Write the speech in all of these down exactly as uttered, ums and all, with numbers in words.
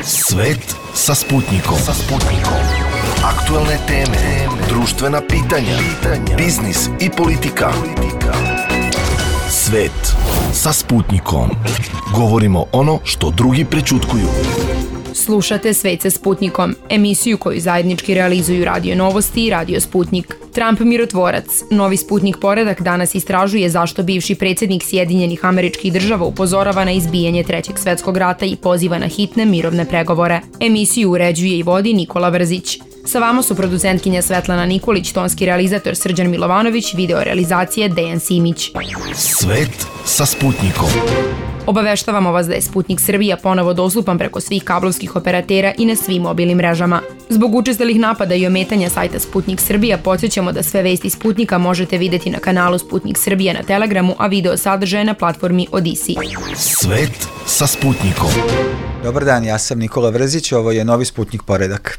Svet sa Sputnikom. Sa Sputnikom. Aktualne teme, društvena pitanja, biznis i politika. Svet sa Sputnikom. Govorimo ono što drugi prećutkuju. Slušate Svet sa Sputnikom, emisiju koju zajednički realizuju Radio Novosti i Radio Sputnik. Trump mirotvorac. Novi Sputnik poredak danas istražuje zašto bivši predsjednik Sjedinjenih Američkih Država upozorava na izbijanje Trećeg svetskog rata i poziva na hitne mirovne pregovore. Emisiju uređuje i vodi Nikola Vrzić. Sa vama su producentkinja Svetlana Nikolić, tonski realizator Srđan Milovanović, video realizacije Dejan Simić. Svet sa Sputnikom. Obaveštavamo vas da je Sputnik Srbija ponovo dostupan preko svih kablovskih operatera i na svim mobilnim mrežama. Zbog učestalih napada i ometanja sajta Sputnik Srbija, podsjećamo da sve vesti Sputnika možete videti na kanalu Sputnik Srbija na Telegramu, a video sadržaje na platformi Odisi. Svet sa Sputnikom. Dobar dan, ja sam Nikola Vrzić, ovo je Novi Sputnik poredak.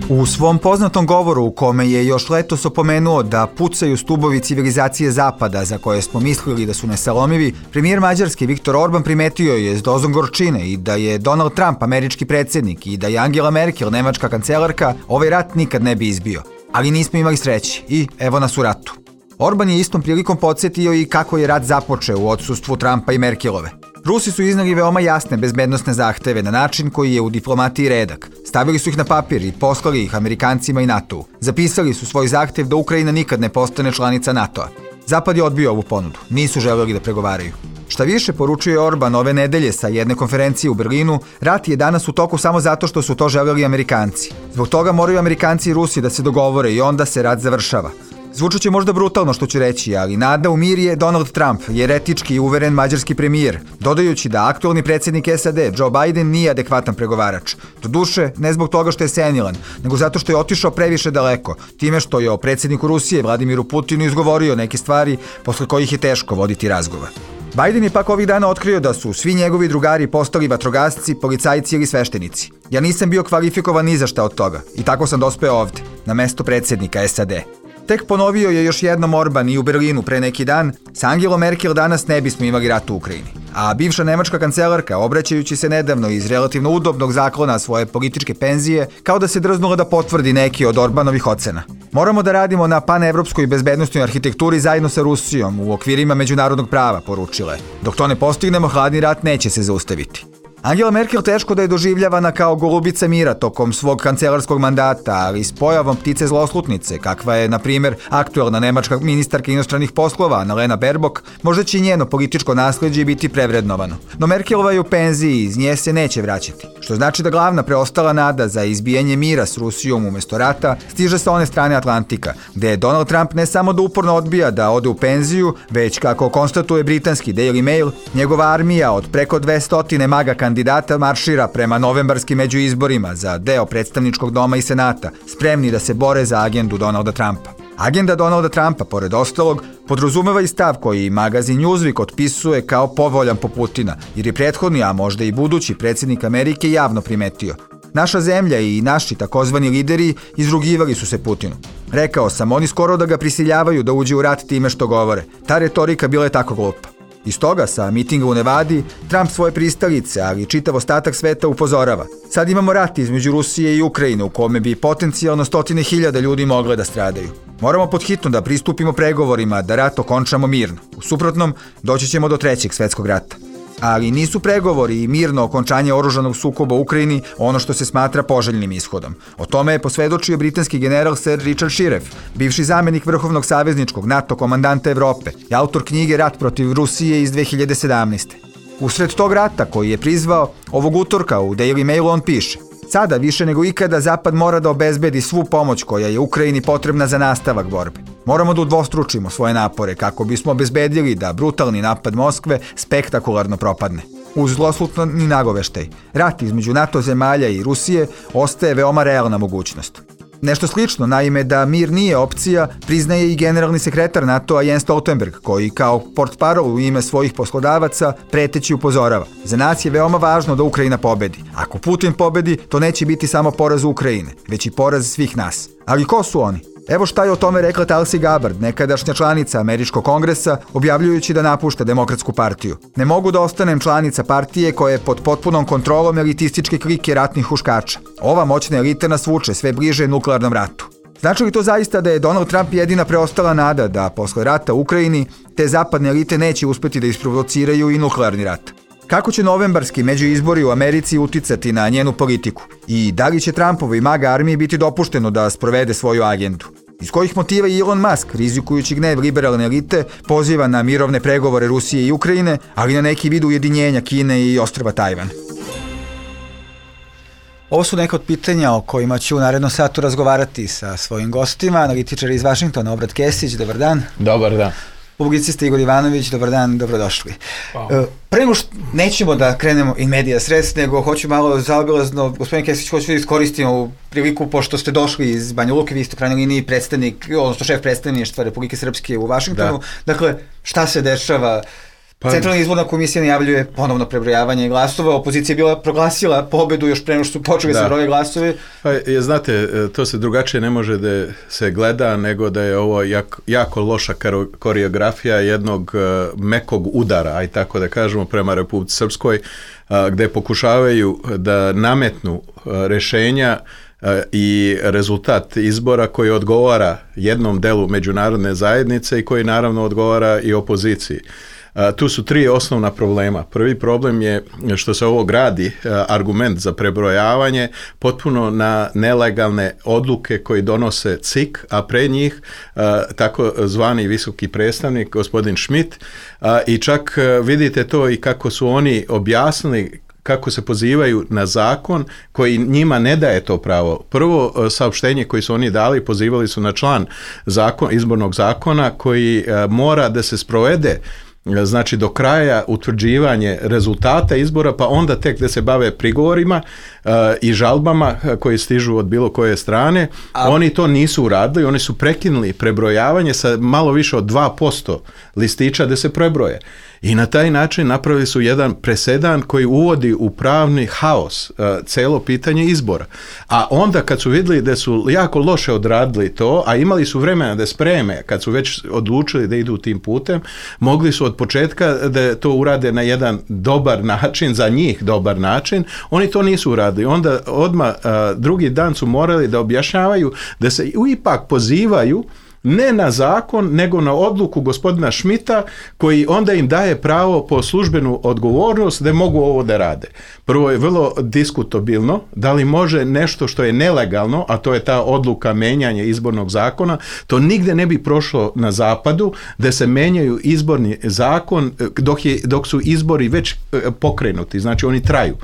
U svom poznatom govoru u kome je još letos opomenuo da pucaju stubovi civilizacije Zapada za koje smo mislili da su nesalomivi, premijer Mađarske Viktor Orban primetio je s dozom gorčine i da je Donald Trump američki predsjednik i da je Angela Merkel nemačka kancelarka, ovaj rat nikad ne bi izbio. Ali nismo imali sreće i evo nas u ratu. Orban je istom prilikom podsjetio i kako je rat započeo u odsustvu Trumpa i Merkelove. Rusi su iznali veoma jasne bezbednosne zahteve na način koji je u diplomatiji redak. Stavili su ih na papir i poslali ih Amerikancima i NATO-u. Zapisali su svoj zahtev da Ukrajina nikad ne postane članica NATO-a. Zapad je odbio ovu ponudu, nisu želeli da pregovaraju. Šta više, poručuje Orban ove nedelje sa jedne konferencije u Berlinu, rat je danas u toku samo zato što su to želeli Amerikanci. Zbog toga moraju Amerikanci i Rusi da se dogovore i onda se rat završava. Zvučat će možda brutalno što ću reći, ali nada u mir je Donald Trump, jer etički i uveren mađarski premijer, dodajući da aktualni predsjednik S A D, Joe Biden, nije adekvatan pregovarač. Doduše, ne zbog toga što je senilan, nego zato što je otišao previše daleko, time što je o predsjedniku Rusije, Vladimiru Putinu, izgovorio neke stvari posle kojih je teško voditi razgovor. Biden je pak ovih dana otkrio da su svi njegovi drugari postali vatrogasci, policajci ili sveštenici. Ja nisam bio kvalifikovan ni za šta od toga i tako sam dospeo ovde, na mesto predsjednika S A D. Tek ponovio je još jednom Orban i u Berlinu pre neki dan, sa Angelom Merkel danas ne bismo imali rat u Ukrajini. A bivša nemačka kancelarka, obraćajući se nedavno iz relativno udobnog zaklona svoje političke penzije, kao da se drznula da potvrdi neki od Orbanovih ocena. Moramo da radimo na panevropskoj bezbednosnoj arhitekturi zajedno sa Rusijom u okvirima međunarodnog prava, poručila je. Dok to ne postignemo, hladni rat neće se zaustaviti. Angela Merkel teško da je doživljavana kao golubica mira tokom svog kancelarskog mandata, ali s pojavom ptice zloslutnice, kakva je, na primjer, aktuelna nemačka ministarka inostranih poslova Annalena Baerbock, možda će njeno političko nasleđe biti prevrednovano. No Merkelova je u penziji i iz nje se neće vraćati, što znači da glavna preostala nada za izbijanje mira s Rusijom umjesto rata stiže sa one strane Atlantika, gde Donald Trump ne samo da uporno odbija da ode u penziju, već, kako konstatuje britanski Daily Mail, njegova armija od preko dvesta maga kandidata maršira prema novembarskim međuizborima za deo predstavničkog doma i senata, spremni da se bore za agendu Donalda Trumpa. Agenda Donalda Trumpa, pored ostalog, podrazumeva i stav koji magazin Newsweek otpisuje kao povoljan po Putina, jer je prethodni, a možda i budući predsjednik Amerike javno primetio. Naša zemlja i naši takozvani lideri izrugivali su se Putinu. Rekao sam, oni skoro da ga prisiljavaju da uđe u rat time što govore. Ta retorika bila je tako glupa. Iz toga, sa mitinga u Nevadi, Trump svoje pristalice, ali i čitav ostatak sveta upozorava. Sad imamo rat između Rusije i Ukrajine u kome bi potencijalno stotine hiljada ljudi mogle da stradaju. Moramo podhitno da pristupimo pregovorima da rat okončamo mirno. U suprotnom, doći ćemo do trećeg svetskog rata. Ali nisu pregovori i mirno okončanje oružanog sukoba u Ukrajini ono što se smatra poželjnim ishodom. O tome je posvedočio britanski general Sir Richard Shiref, bivši zamjenik vrhovnog savezničkog NATO komandanta Evrope i autor knjige Rat protiv Rusije iz dve hiljade sedamnaeste. Usred tog rata koji je prizvao, ovog utorka u Daily Mailu on piše: sada više nego ikada Zapad mora da obezbedi svu pomoć koja je Ukrajini potrebna za nastavak borbe. Moramo da udvostručimo svoje napore kako bismo obezbedili da brutalni napad Moskve spektakularno propadne. Uz zloslutni nagoveštaj, rat između NATO zemalja i Rusije ostaje veoma realna mogućnost. Nešto slično, naime, da mir nije opcija, priznaje i generalni sekretar NATO-a Jens Stoltenberg, koji kao portparol u ime svojih poslodavaca preteći upozorava. Za nas je veoma važno da Ukrajina pobedi. Ako Putin pobedi, to neće biti samo poraz Ukrajine, već i poraz svih nas. Ali ko su oni? Evo šta je o tome rekla Tulsi Gabbard, nekadašnja članica Američkog kongresa, objavljujući da napušta Demokratsku partiju. Ne mogu da ostanem članica partije koja je pod potpunom kontrolom elitističke klike ratnih huškača. Ova moćna elita nas vuče sve bliže nuklearnom ratu. Znači li to zaista da je Donald Trump jedina preostala nada da posle rata u Ukrajini te zapadne elite neće uspeti da isprovociraju i nuklearni rat? Kako će novembarski međuizbori u Americi uticati na njenu politiku? I da li će Trumpovoj MAGA armiji biti dopušteno da sprovede svoju agendu? Iz kojih motiva Elon Musk, rizikujući gnev liberalne elite, poziva na mirovne pregovore Rusije i Ukrajine, ali na neki vid ujedinjenja Kine i ostrva Tajvan? Ovo su neka od pitanja o kojima ću u narednom satu razgovarati sa svojim gostima, analitičar iz Vašingtona, Obrat Kesić, dobar dan. Dobar dan. Publicista Igor Ivanović, dobar dan, dobrodošli. Hvala. Pre nego što nećemo da krenemo in medias res, nego hoću malo zaobilazno, gospodin Kesić, hoću da iskoristimo u priliku, pošto ste došli iz Banja Luke, vi ste u krajnjoj liniji predstavnik, odnosno šef predstavništva Republike Srpske u Vašingtonu. Da. Dakle, šta se dešava? Pa, Centralna izborna komisija najavljuje ponovno prebrojavanje glasova, opozicija je bila proglasila pobedu još pre nego što su počeli da se broje glasove. Pa, je, znate, to se drugačije ne može da se gleda nego da je ovo jak, jako loša koreografija jednog uh, mekog udara, aj tako da kažemo, prema Republici Srpskoj, uh, gde pokušavaju da nametnu uh, rešenja uh, i rezultat izbora koji odgovara jednom delu međunarodne zajednice i koji naravno odgovara i opoziciji. Uh, tu su tri osnovna problema. Prvi problem je što se ovo gradi, uh, argument za prebrojavanje, potpuno na nelegalne odluke koji donose C I K, a pre njih uh, tako zvani visoki predstavnik, gospodin Schmidt, uh, i čak uh, vidite to i kako su oni objasnili kako se pozivaju na zakon koji njima ne daje to pravo. Prvo saopštenje koje su oni dali, pozivali su na član zakon, izbornog zakona koji uh, mora da se sprovede, znači do kraja utvrđivanje rezultata izbora, pa onda tek da se bave prigovorima uh, i žalbama koji stižu od bilo koje strane. A... Oni to nisu uradili, oni su prekinuli prebrojavanje sa malo više od dva posto listića da se prebroje. I na taj način napravili su jedan presedan koji uvodi u pravni haos uh, celo pitanje izbora. A onda kad su vidjeli da su jako loše odradili to, a imali su vremena da spreme, kad su već odlučili da idu tim putem, mogli su od početka da to urade na jedan dobar način, za njih dobar način, oni to nisu uradili. Onda odmah uh, drugi dan su morali da objašnjavaju da se ipak pozivaju ne na zakon, nego na odluku gospodina Schmidta, koji onda im daje pravo po službenu odgovornost da mogu ovo da rade. Prvo je vrlo diskutabilno da li može nešto što je nelegalno, a to je ta odluka menjanja izbornog zakona, to nigde ne bi prošlo na zapadu, da se menjaju izborni zakon dok, je, dok su izbori već pokrenuti, znači oni traju.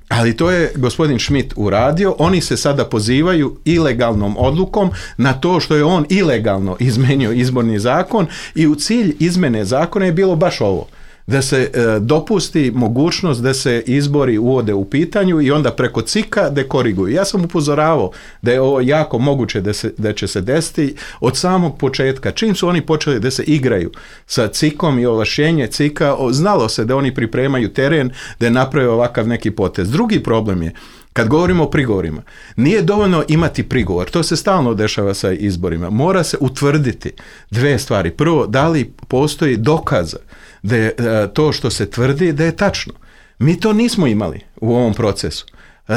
Ali to je gospodin Schmidt uradio, oni se sada pozivaju ilegalnom odlukom na to što je on ilegalno izmenio izborni zakon i u cilj izmene zakona je bilo baš ovo. Da se e, dopusti mogućnost da se izbori uvode u pitanju i onda preko C I K-a da koriguju. Ja sam upozoravao da je ovo jako moguće da, se, da će se desiti od samog početka. Čim su oni počeli da se igraju sa C I K-om i ovlašćenje C I K-a, znalo se da oni pripremaju teren da naprave ovakav neki potez. Drugi problem je, kad govorimo o prigovorima, nije dovoljno imati prigovor, to se stalno dešava sa izborima. Mora se utvrditi dve stvari. Prvo, da li postoji dokaza da je to što se tvrdi da je tačno. Mi to nismo imali u ovom procesu,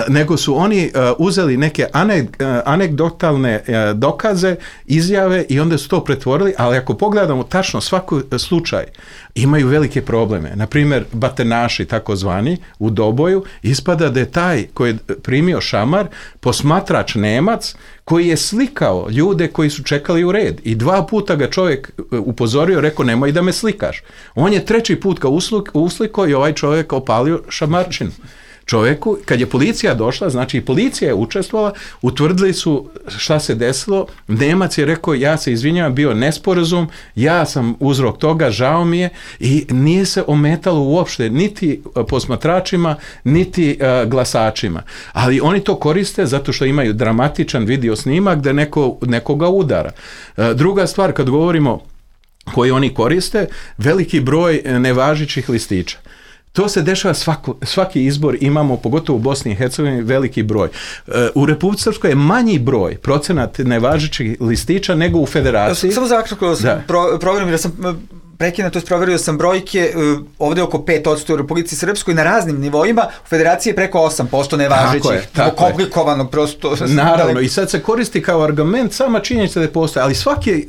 nego su oni uzeli neke anegdotalne dokaze, izjave i onda su to pretvorili, ali ako pogledamo tačno svaki slučaj, imaju velike probleme. Naprimjer, batenaši takozvani u Doboju, ispada da je taj koji je primio šamar posmatrač Nemac koji je slikao ljude koji su čekali u red i dva puta ga čovjek upozorio, rekao nemoj da me slikaš. On je treći put ga uslikao i ovaj čovjek opalio šamarčinu čovjeku. Kad je policija došla, znači i policija je učestvovala, utvrdili su šta se desilo, Nemac je rekao ja se izvinjavam, bio nesporazum, ja sam uzrok toga, žao mi je, i nije se ometalo uopšte niti posmatračima, niti uh, glasačima. Ali oni to koriste zato što imaju dramatičan video snimak da neko, nekoga udara. Uh, druga stvar, kad govorimo koji oni koriste, veliki broj nevažećih listića. To se dešava svako, svaki izbor, imamo pogotovo u Bosni i Hercegovini veliki broj. U Republici Srpskoj je manji broj procenat nevažećih listića nego u federaciji. Samo za kratko sam pro, program, jer sam prekina, to je proverio sam brojke, ovde oko pet posto u Republici Srpskoj na raznim nivoima, u federaciji je preko osam posto nevažećih, komplikovanog prosto. Naravno, i sad se koristi kao argument sama činjenica da postoje, ali svake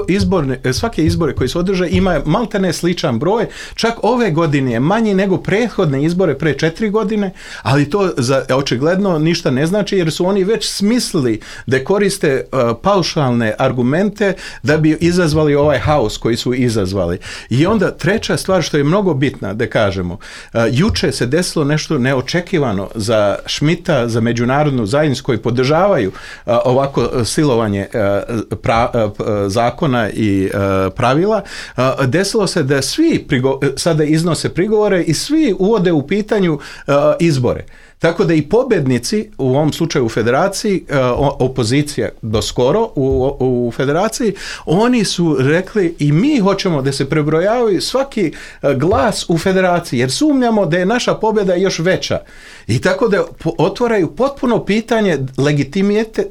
izborne, svake izbore koji se održe ima maltene sličan broj, čak ove godine je manji nego prethodne izbore pre četiri godine, ali to za, očigledno ništa ne znači, jer su oni već smislili da koriste uh, paušalne argumente da bi izazvali ovaj haos koji su izazvali. I onda treća stvar što je mnogo bitna da kažemo, uh, juče se desilo nešto neočekivano za Šmita, za međunarodnu zajednicu koji podržavaju uh, ovako silovanje uh, pra, uh, zakona i uh, pravila. Uh, desilo se da svi prigo- sada iznose prigovore i svi uvode u pitanju uh, izbore. Tako da i pobednici, u ovom slučaju u federaciji, opozicija do skoro u, u federaciji, oni su rekli i mi hoćemo da se prebrojavaju svaki glas u federaciji, jer sumnjamo da je naša pobjeda još veća. I tako da otvaraju potpuno pitanje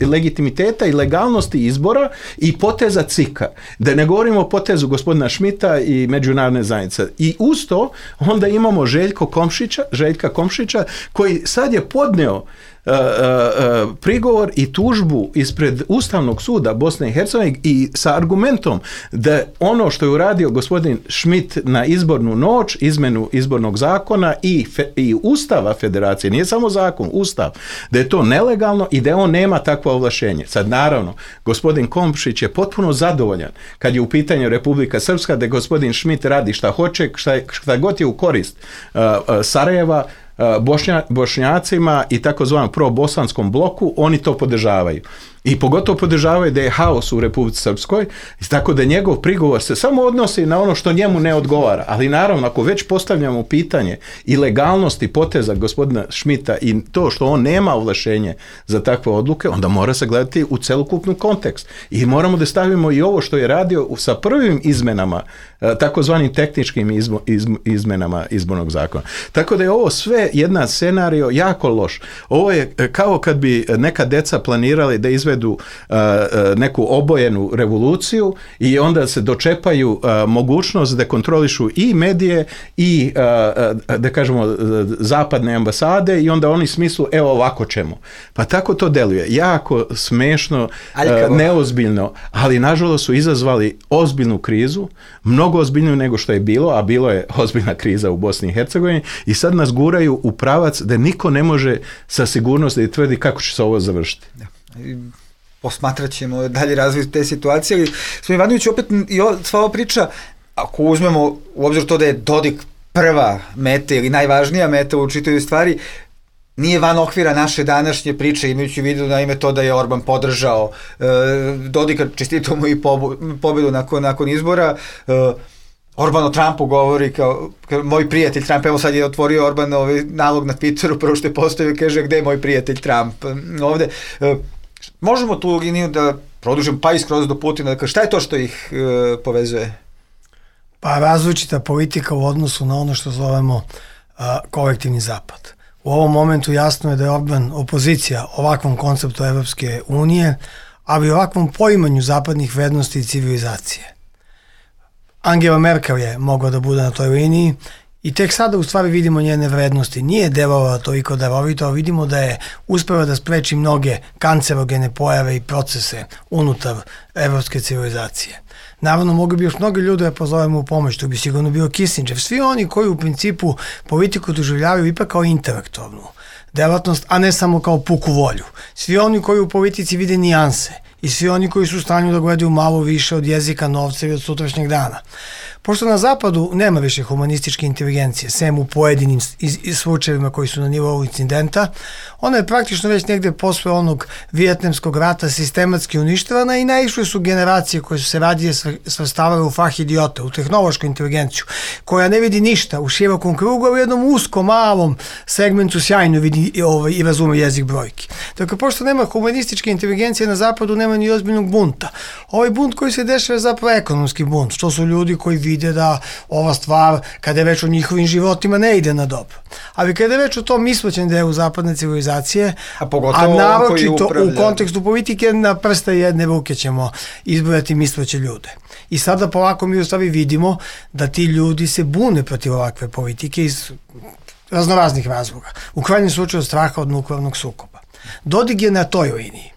legitimiteta i legalnosti izbora i poteza C I K-a. Da ne govorimo o potezu gospodina Šmita i međunarodne zajednice. I uz to onda imamo Željko Komšića, Željka Komšića, koji sad je podneo uh, uh, uh, prigovor i tužbu ispred Ustavnog suda Bosne i Hercegovine i sa argumentom da ono što je uradio gospodin Šmit na izbornu noć, izmenu izbornog zakona i, fe, i Ustava federacije, nije samo zakon, Ustav, da je to nelegalno i da on nema takvo ovlašenje. Sad naravno, gospodin Komšić je potpuno zadovoljan kad je u pitanju Republika Srpska, da gospodin Šmit radi šta hoće, šta, šta god je u korist uh, uh, Sarajeva, Bošnja, Bošnjacima i takozvanom pro-bosanskom bloku, oni to podržavaju. I pogotovo podržavaju da je haos u Republici Srpskoj, tako da njegov prigovor se samo odnosi na ono što njemu ne odgovara. Ali naravno, ako već postavljamo pitanje i legalnosti poteza gospodina Šmita i to što on nema ovlašenje za takve odluke, onda mora se gledati u celokupnu kontekst. I moramo da stavimo i ovo što je radio sa prvim izmenama, takozvanim tehničkim izmo, izm, izmenama izbornog zakona. Tako da je ovo sve jedan scenario jako loš. Ovo je kao kad bi neka deca planirali da izvedu uh, neku obojenu revoluciju i onda se dočepaju uh, mogućnost da kontrolišu i medije i uh, da kažemo zapadne ambasade i onda oni smislu evo ovako ćemo. Pa tako to deluje. Jako smešno, uh, neozbiljno, ali nažalost su izazvali ozbiljnu krizu, mnogo ozbiljniju nego što je bilo, a bilo je ozbiljna kriza u Bosni i Hercegovini i sad nas guraju u pravac da niko ne može sa sigurnosti da tvrdi kako će se ovo završiti. Da. Posmatrat ćemo dalje razvoj te situacije, ali smo Ivanović opet i o, sva ova priča, ako uzmemo u obzir to da je Dodik prva meta ili najvažnija meta u čitavoj stvari, nije van okvira naše današnje priče, imajući u vidu na ime to da je Orban podržao e, Dodika, čestitao mu i pobedu nakon, nakon izbora. e, Orban o Trumpu govori kao, kao moj prijatelj Trump, evo sad je otvorio Orban ovaj nalog na Twitteru, prvo što je postavio, kaže gde je moj prijatelj Trump ovde. E, možemo tu liniju da produžim pa iskroz do Putina, dakle šta je to što ih e, povezuje? Pa različita politika u odnosu na ono što zovemo a, kolektivni zapad. U ovom momentu jasno je da je Orban opozicija ovakvom konceptu Evropske unije, ali i ovakvom poimanju zapadnih vrednosti i civilizacije. Angela Merkel je mogla da bude na toj liniji i tek sada u stvari vidimo njene vrednosti. Nije delovala toliko darovito, ali vidimo da je uspela da spreči mnoge kancerogene pojave i procese unutar evropske civilizacije. Naravno, mogli bi još mnogo ljudi da pozovemo u pomoć, to bi sigurno bio Kissinger. Svi oni koji u principu politiku doživljavaju ipak kao intelektualnu delatnost, a ne samo kao puku volju. Svi oni koji u politici vide nijanse i svi oni koji su u stanju da gledaju malo više od jezika, novca i od sutrašnjeg dana. Pošto na zapadu nema više humanističke inteligencije, sem u pojedinim slučajevima koji su na nivou incidenta, ona je praktično već negde posle onog vijetnamskog rata sistematski uništavana i naišle su generacije koje su se radije svrstavale u fah idiota, u tehnološku inteligenciju, koja ne vidi ništa u širokom krugu, a u jednom uskom, malom segmentu sjajno vidi ovaj, i razume jezik brojki. Dakle, pošto nema humanističke inteligencije na zapadu, nema ni ozbiljnog bunta. Ovaj bunt koji se dešava je zapravo ekonomski bunt. To su ljudi koji vide da ova stvar, kada je već o njihovim životima, ne ide na dobro. Ali kada je već o tom mislećem delu zapadne civilizacije, a, a naročito u kontekstu politike, na prste jedne ruke ćemo izbrojati misleće ljude. I sada polako mi u stvari vidimo da ti ljudi se bune protiv ovakve politike iz raznoraznih razloga. U krajnjem slučaju straha od nuklearnog sukoba. Dodik je na toj liniji.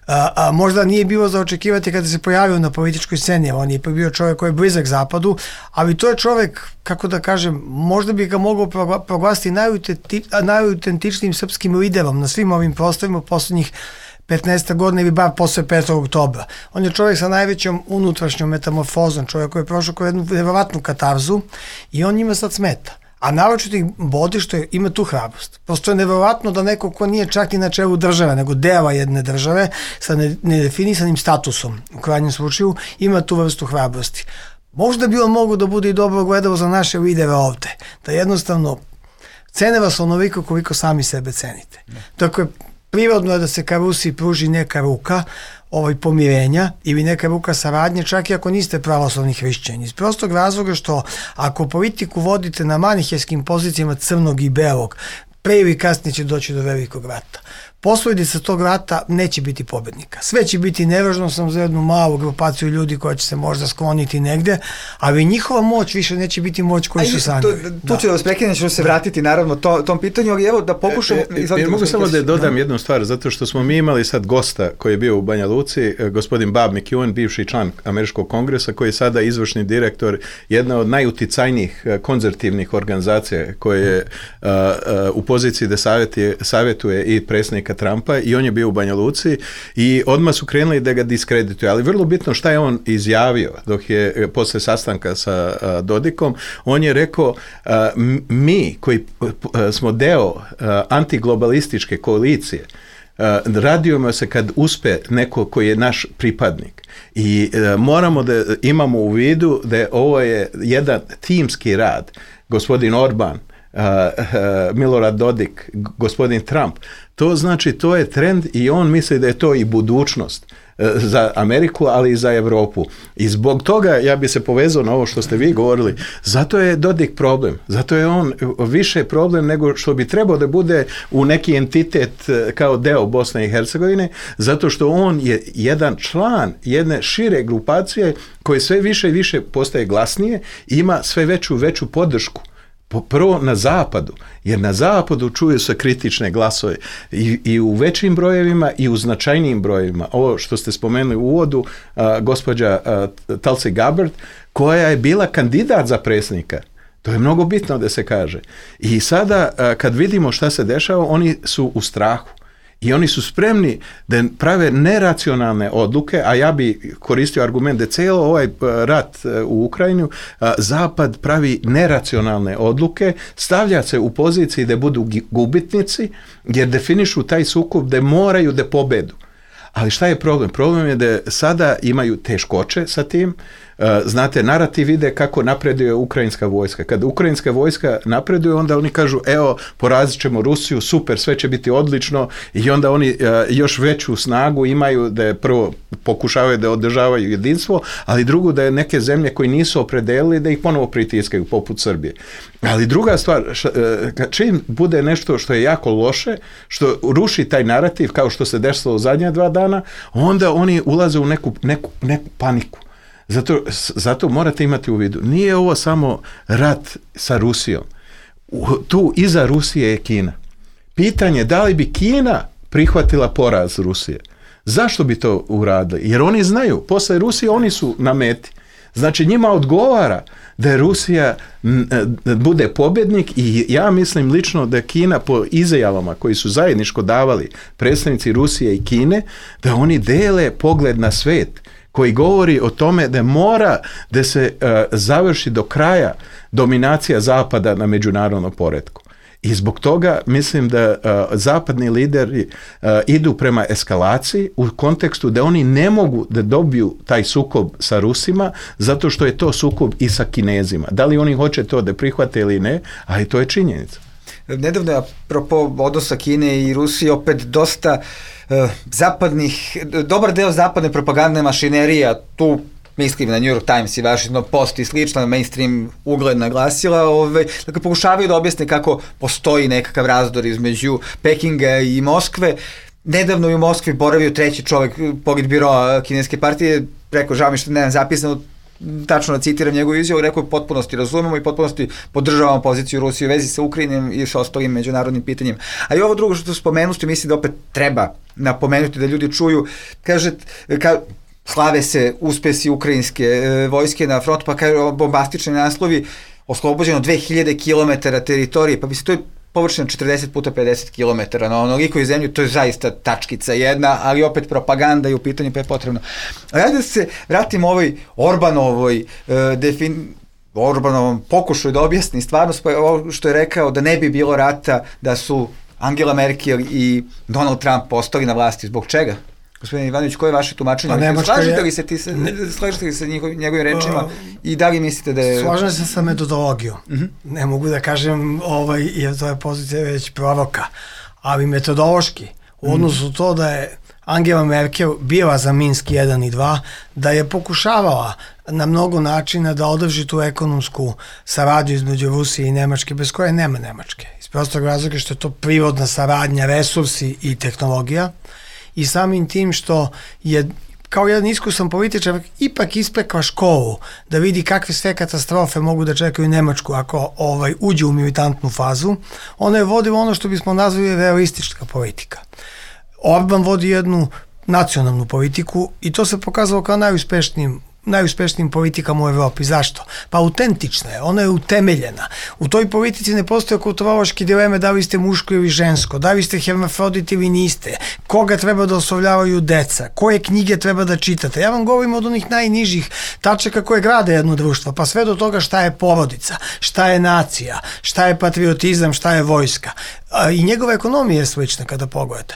A, a možda nije bilo za očekivati kada se pojavio na političkoj sceni, on je bio čovjek koji je blizak zapadu, ali to je čovjek, kako da kažem, možda bi ga mogao proglasiti najautentičnijim srpskim liderom na svim ovim prostorima posljednjih petnaest godina ili bar posle petog oktobra. On je čovjek sa najvećom unutrašnjom metamorfozom, čovjek koji je prošao kao jednu nevjerovatnu katarzu i on njima sad smeta. A naročito ih bodi što je, ima tu hrabrost. Prosto je nevjerovatno da neko ko nije čak ni na čelu države, nego dela jedne države sa nedefinisanim statusom, u krajnjem slučaju, ima tu vrstu hrabrosti. Možda bi on mogu da bude i dobro gledao za naše lidere ovde, da jednostavno cene vas onoliko koliko sami sebe cenite. Dakle, prirodno je da se ka Rusiji pruži neka ruka ovaj pomirenja ili neka ruka saradnje, čak i ako niste pravoslavni hrišćani. Iz prostog razloga što ako politiku vodite na manihejskim pozicijama crnog i belog, pre ili kasnije će doći do velikog rata. Posledica tog rata neće biti pobednika. Sve će biti nevažno sam za jednu malu grupaciju ljudi koja će se možda skloniti negde, ali njihova moć više neće biti moć koju su sanjali. Tu ću da vas prekinem, ću se vratiti naravno to, tom pitanju, ali evo da pokušamo... E, e, mogu samo da dodam jednu stvar, zato što smo mi imali sad gosta koji je bio u Banja Luci, gospodin Bob McEwen, bivši član Američkog kongresa, koji je sada izvršni direktor jedne od najuticajnijih konzervativnih organizacija koje je uh, uh, u poziciji da savjetuje, savjetuje i predsjednika Trumpa i on je bio u Banja Luci i odmah su krenuli da ga diskredituju, ali vrlo bitno šta je on izjavio dok je posle sastanka sa a, Dodikom, on je rekao a, mi koji a, smo deo a, antiglobalističke koalicije a, radujemo se kad uspe neko koji je naš pripadnik i a, moramo da imamo u vidu da ovo je jedan timski rad, gospodin Orban, Uh, uh, Milorad Dodik, gospodin Trump, to znači to je trend i on misli da je to i budućnost uh, za Ameriku, ali i za Evropu. I zbog toga ja bi se povezao na ovo što ste vi govorili, zato je Dodik problem, zato je on više problem nego što bi trebao da bude u neki entitet kao deo Bosne i Hercegovine, zato što on je jedan član jedne šire grupacije koje sve više i više postaje glasnije i ima sve veću veću podršku. Prvo na zapadu, jer na zapadu čuju se kritične glasove i, i u većim brojevima i u značajnijim brojevima. Ovo što ste spomenuli u uvodu, a, gospođa a, Tulsi Gabbard, koja je bila kandidat za predsjednika. To je mnogo bitno da se kaže. I sada a, kad vidimo šta se dešava, oni su u strahu. I oni su spremni da prave neracionalne odluke, a ja bi koristio argument da cijelo ovaj rat u Ukrajinu, Zapad pravi neracionalne odluke, stavlja se u poziciji da budu gubitnici, jer definišu taj sukob da moraju da pobedu. Ali šta je problem? Problem je da sada imaju teškoće sa tim. Znate, narativ ide kako napreduje ukrajinska vojska. Kad ukrajinska vojska napreduje, onda oni kažu, evo, porazit ćemo Rusiju, super, sve će biti odlično i onda oni još veću snagu imaju da je prvo pokušavaju da održavaju jedinstvo, ali drugo da je neke zemlje koji nisu opredelili da ih ponovo pritiskaju, poput Srbije. Ali druga stvar, čim bude nešto što je jako loše, što ruši taj narativ, kao što se desilo u zadnja dva dana, onda oni ulaze u neku, neku, neku paniku. Zato, zato morate imati u vidu, nije ovo samo rat sa Rusijom. Tu iza Rusije je Kina. Pitanje da li bi Kina prihvatila poraz Rusije. Zašto bi to uradili? Jer oni znaju, posle Rusije oni su na meti. Znači njima odgovara da je Rusija bude pobjednik i ja mislim lično da Kina po izjavama koji su zajedničko davali predstavnici Rusije i Kine, da oni dele pogled na svet koji govori o tome da mora da se uh, završi do kraja dominacija Zapada na međunarodnom poretku. I zbog toga mislim da uh, zapadni lideri uh, idu prema eskalaciji u kontekstu da oni ne mogu da dobiju taj sukob sa Rusima zato što je to sukob i sa Kinezima. Da li oni hoće to da prihvate ili ne, ali to je činjenica. nedavno je apropo odnosa Kine i Rusije opet dosta uh, zapadnih, dobar deo zapadne propagandne mašinerija, tu mislim na New York Times i Washington Post i slično, mainstream ugledna glasila, ove, dakle, pokušavaju da objasne kako postoji nekakav razdor između Pekinga i Moskve. Nedavno je u Moskvi boravio treći čovek politbiroa kineske partije, rekao, žao mi što nemam zapisano, tačno da citiram njegovu izjavu, rekao je potpunosti razumemo i potpunosti podržavamo poziciju Rusije u vezi sa Ukrajinom i sa ostalim međunarodnim pitanjima. A i ovo drugo što spomenuste, mislim da opet treba napomenuti da ljudi čuju, kaže, ka, slave se uspesi ukrajinske e, vojske na front, pa kaže bombastični naslovi, oslobođeno dve hiljade kilometara teritorije, pa mislim to je površina četrdeset puta pedeset kilometara na onoliko i zemlju, to je zaista tačkica jedna, ali opet propaganda i u pitanju pa je potrebno. A ja da se vratim ovoj Orbanovoj uh, defin... Orbanovom pokušaju da objasni stvarnost, pa ovo što je rekao da ne bi bilo rata da su Angela Merkel i Donald Trump postali na vlasti. Zbog čega? Gospodin Ivanović, koje je vaše tumačenje? Pa slažete li se, ti se, slažete li se njegovim, njegovim rečima uh, i da li mislite da je... Slažem se sa metodologijom. Uh-huh. Ne mogu da kažem, ovaj, jer to je pozicija već proroka, ali metodološki, u odnosu uh-huh. to da je Angela Merkel bila za Minsk jedan i dva, da je pokušavala na mnogo načina da održi tu ekonomsku saradnju između Rusije i Nemačke, bez koje nema Nemačke. Iz prostog razloga što je to prirodna saradnja, resursi i tehnologija, i samim tim što je kao jedan iskusan političar ipak ispekla školu da vidi kakve sve katastrofe mogu da čekaju Nemačku ako ovaj, uđe u militantnu fazu, ona je vodila ono što bismo nazvali realistička politika. Orban vodi jednu nacionalnu politiku i to se pokazalo kao najuspešnijim najuspešnijim politikama u Evropi. Zašto? Pa autentična je, ona je utemeljena. U toj politici ne postoje kulturološke dileme da li ste muško ili žensko, da li ste hermafrodit ili niste, koga treba da oslovljavaju deca, koje knjige treba da čitate. Ja vam govorim od onih najnižih tačaka koje grade jedno društvo, pa sve do toga šta je porodica, šta je nacija, šta je patriotizam, šta je vojska. I njegova ekonomija je slična kada pogledate.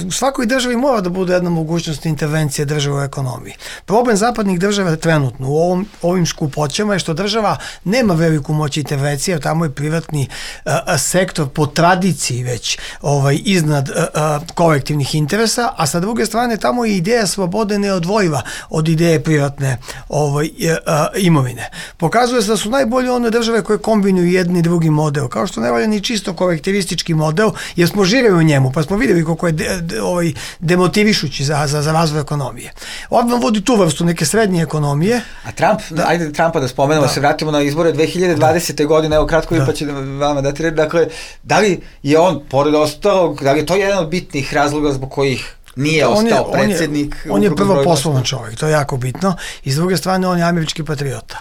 U svakoj državi mora da bude jedna mogućnost intervencije države u ekonomiji. Problem zapadnih država trenutno u ovom, ovim skupoćama je što država nema veliku moć intervencije, tamo je privatni a, sektor po tradiciji već ovaj, iznad a, a, kolektivnih interesa, a sa druge strane tamo je ideja slobode neodvojiva od ideje privatne ovaj, a, imovine. Pokazuje se da su najbolje one države koje kombinuju jedni i drugi model, kao što ne valja ni čisto kolektivistički model, jer smo živjeli u njemu, pa smo vidjeli koliko je de, de, ovaj, demotivišući za, za, za razvoj ekonomije. Orban vodi tu vrstu neke srednje ekonomije. A Trump, da. ajde Trumpa da spomenemo, da. se vratimo na izbore dve hiljade dvadesete. Da. godine, evo kratko da. pa će vama dati reći, dakle, da li je on, pored ostalog, da li je to jedan od bitnih razloga zbog kojih nije on ostao je, predsjednik? On je, on je prvo poslovan čovjek, to je jako bitno, i s druge strane on je američki patriota.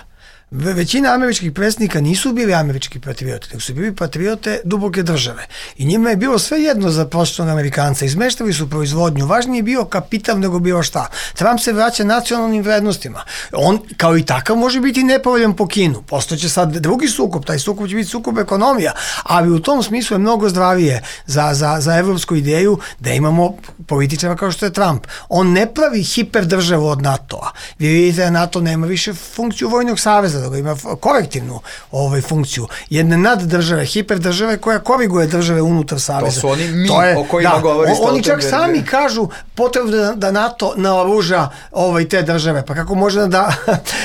Većina američkih predsjednika nisu bili američki patrioti, nego su bili patriote duboke države. I njima je bilo sve jedno za prosječnog Amerikanca. Izmeštali su proizvodnju. Važnije je bio kapital nego bilo šta. Trump se vraća nacionalnim vrednostima. On, kao i takav, može biti nepovoljan po Kinu. Postojeće sad drugi sukob, taj sukob će biti sukob ekonomija, ali u tom smislu je mnogo zdravije za, za, za evropsku ideju da imamo političara kao što je Trump. On ne pravi hiperdržavu od NATO-a. Vi vidite da NATO nema više funkciju vojnog saveza, da ima kolektivnu ovaj, funkciju. Jedne naddržave, hiperdržave koja koriguje države unutar saveza. To su oni mi to je, o kojima da, govori Stoltenberg. Oni čak sami kažu potrebno da, da NATO naoruža ovaj, te države. Pa kako može da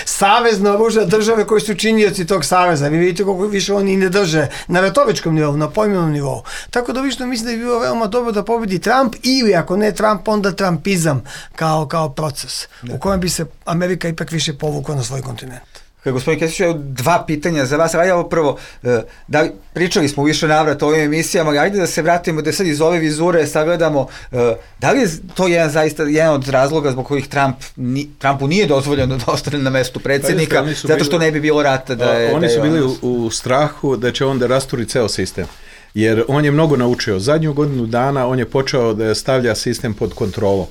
savez naoruža države koji su činioci tog saveza? Vi vidite koliko više oni ne drže na retoričkom nivou, na pojmovnom nivou. Tako da više mislim da je bilo veoma dobro da pobedi Trump ili ako ne Trump, onda Trumpizam kao, kao proces da. u kojem bi se Amerika ipak više povukla na svoj kontinent. Gospodin Kesić, dva pitanja za vas, ali ovo prvo, da li, pričali smo više navrata o ovim emisijama, ali ajde da se vratimo, da sad iz ove vizure sagledamo, da li je to jedan, zaista, jedan od razloga zbog kojih Trump, ni, Trumpu nije dozvoljeno da ostane na mestu predsjednika, pa zato što ne bi bilo rata da je... Oni da je su bili on... u, u strahu da će on da rasturi ceo sistem, jer on je mnogo naučio. Zadnju godinu dana on je počeo da stavlja sistem pod kontrolom.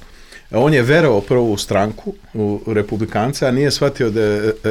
On je verovao prvo u stranku, u republikance, a nije shvatio da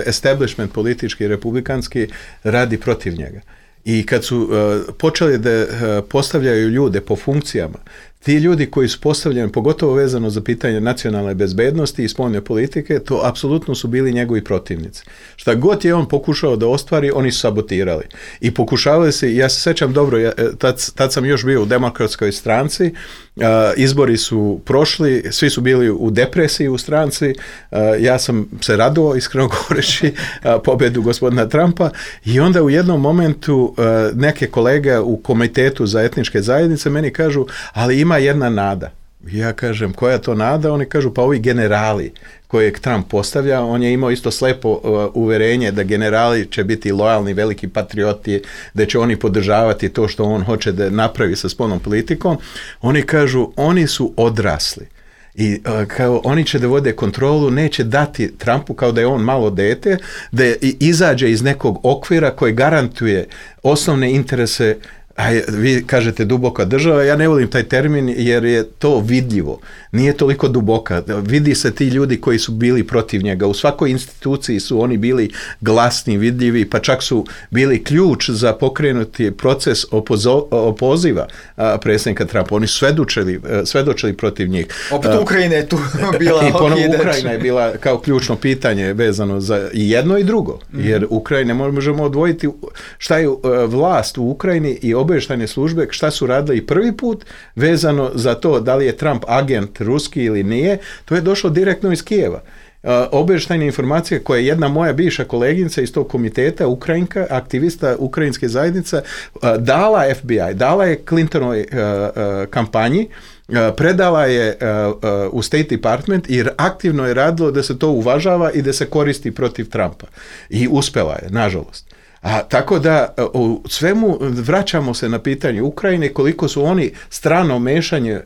establishment politički i republikanski radi protiv njega. I kad su uh, počeli da uh, postavljaju ljude po funkcijama, ti ljudi koji su postavljeni, pogotovo vezano za pitanje nacionalne bezbednosti i spoljne politike, to apsolutno su bili njegovi protivnici. Šta god je on pokušao da ostvari, oni su sabotirali. I pokušavali se, ja se sećam dobro, ja, tad, tad sam još bio u demokratskoj stranci, uh, izbori su prošli, svi su bili u depresiji u stranci, uh, ja sam se radovao, iskreno govoreći, uh, pobedu gospodina Trumpa, i onda u jednom momentu uh, neke kolege u komitetu za etničke zajednice meni kažu, ali ima jedna nada. Ja kažem, koja je to nada? Oni kažu, pa ovi generali kojeg Trump postavlja, on je imao isto slepo uh, uverenje da generali će biti lojalni, veliki patrioti, da će oni podržavati to što on hoće da napravi sa spoljnom politikom. Oni kažu, oni su odrasli. I uh, kao oni će da vode kontrolu, neće dati Trumpu kao da je on malo dete, da je, izađe iz nekog okvira koji garantuje osnovne interese. A vi kažete duboka država, ja ne volim taj termin jer je to vidljivo, nije toliko duboka, vidi se ti ljudi koji su bili protiv njega, u svakoj instituciji su oni bili glasni, vidljivi, pa čak su bili ključ za pokrenuti proces opozo, opoziva a, predsjednika Trumpa, oni su svedočili, svedočili protiv njih. Opet Ukrajina je tu bila. I ponovno Ukrajina je bila kao ključno pitanje vezano za i jedno i drugo, mm-hmm. jer Ukrajine možemo odvojiti šta je vlast u Ukrajini i obavještajne službe, šta su radili i prvi put vezano za to da li je Trump agent ruski ili nije, to je došlo direktno iz Kijeva. Uh, obavještajne informacije koje je jedna moja bivša koleginica iz tog komiteta, Ukrajinka, aktivista ukrajinske zajednice, uh, dala F B I, dala je Clintonovoj uh, uh, kampanji, uh, predala je uh, uh, u State Department i aktivno je radilo da se to uvažava i da se koristi protiv Trumpa. I uspela je, nažalost. A tako da u svemu vraćamo se na pitanje Ukrajine, koliko su oni strano mešanje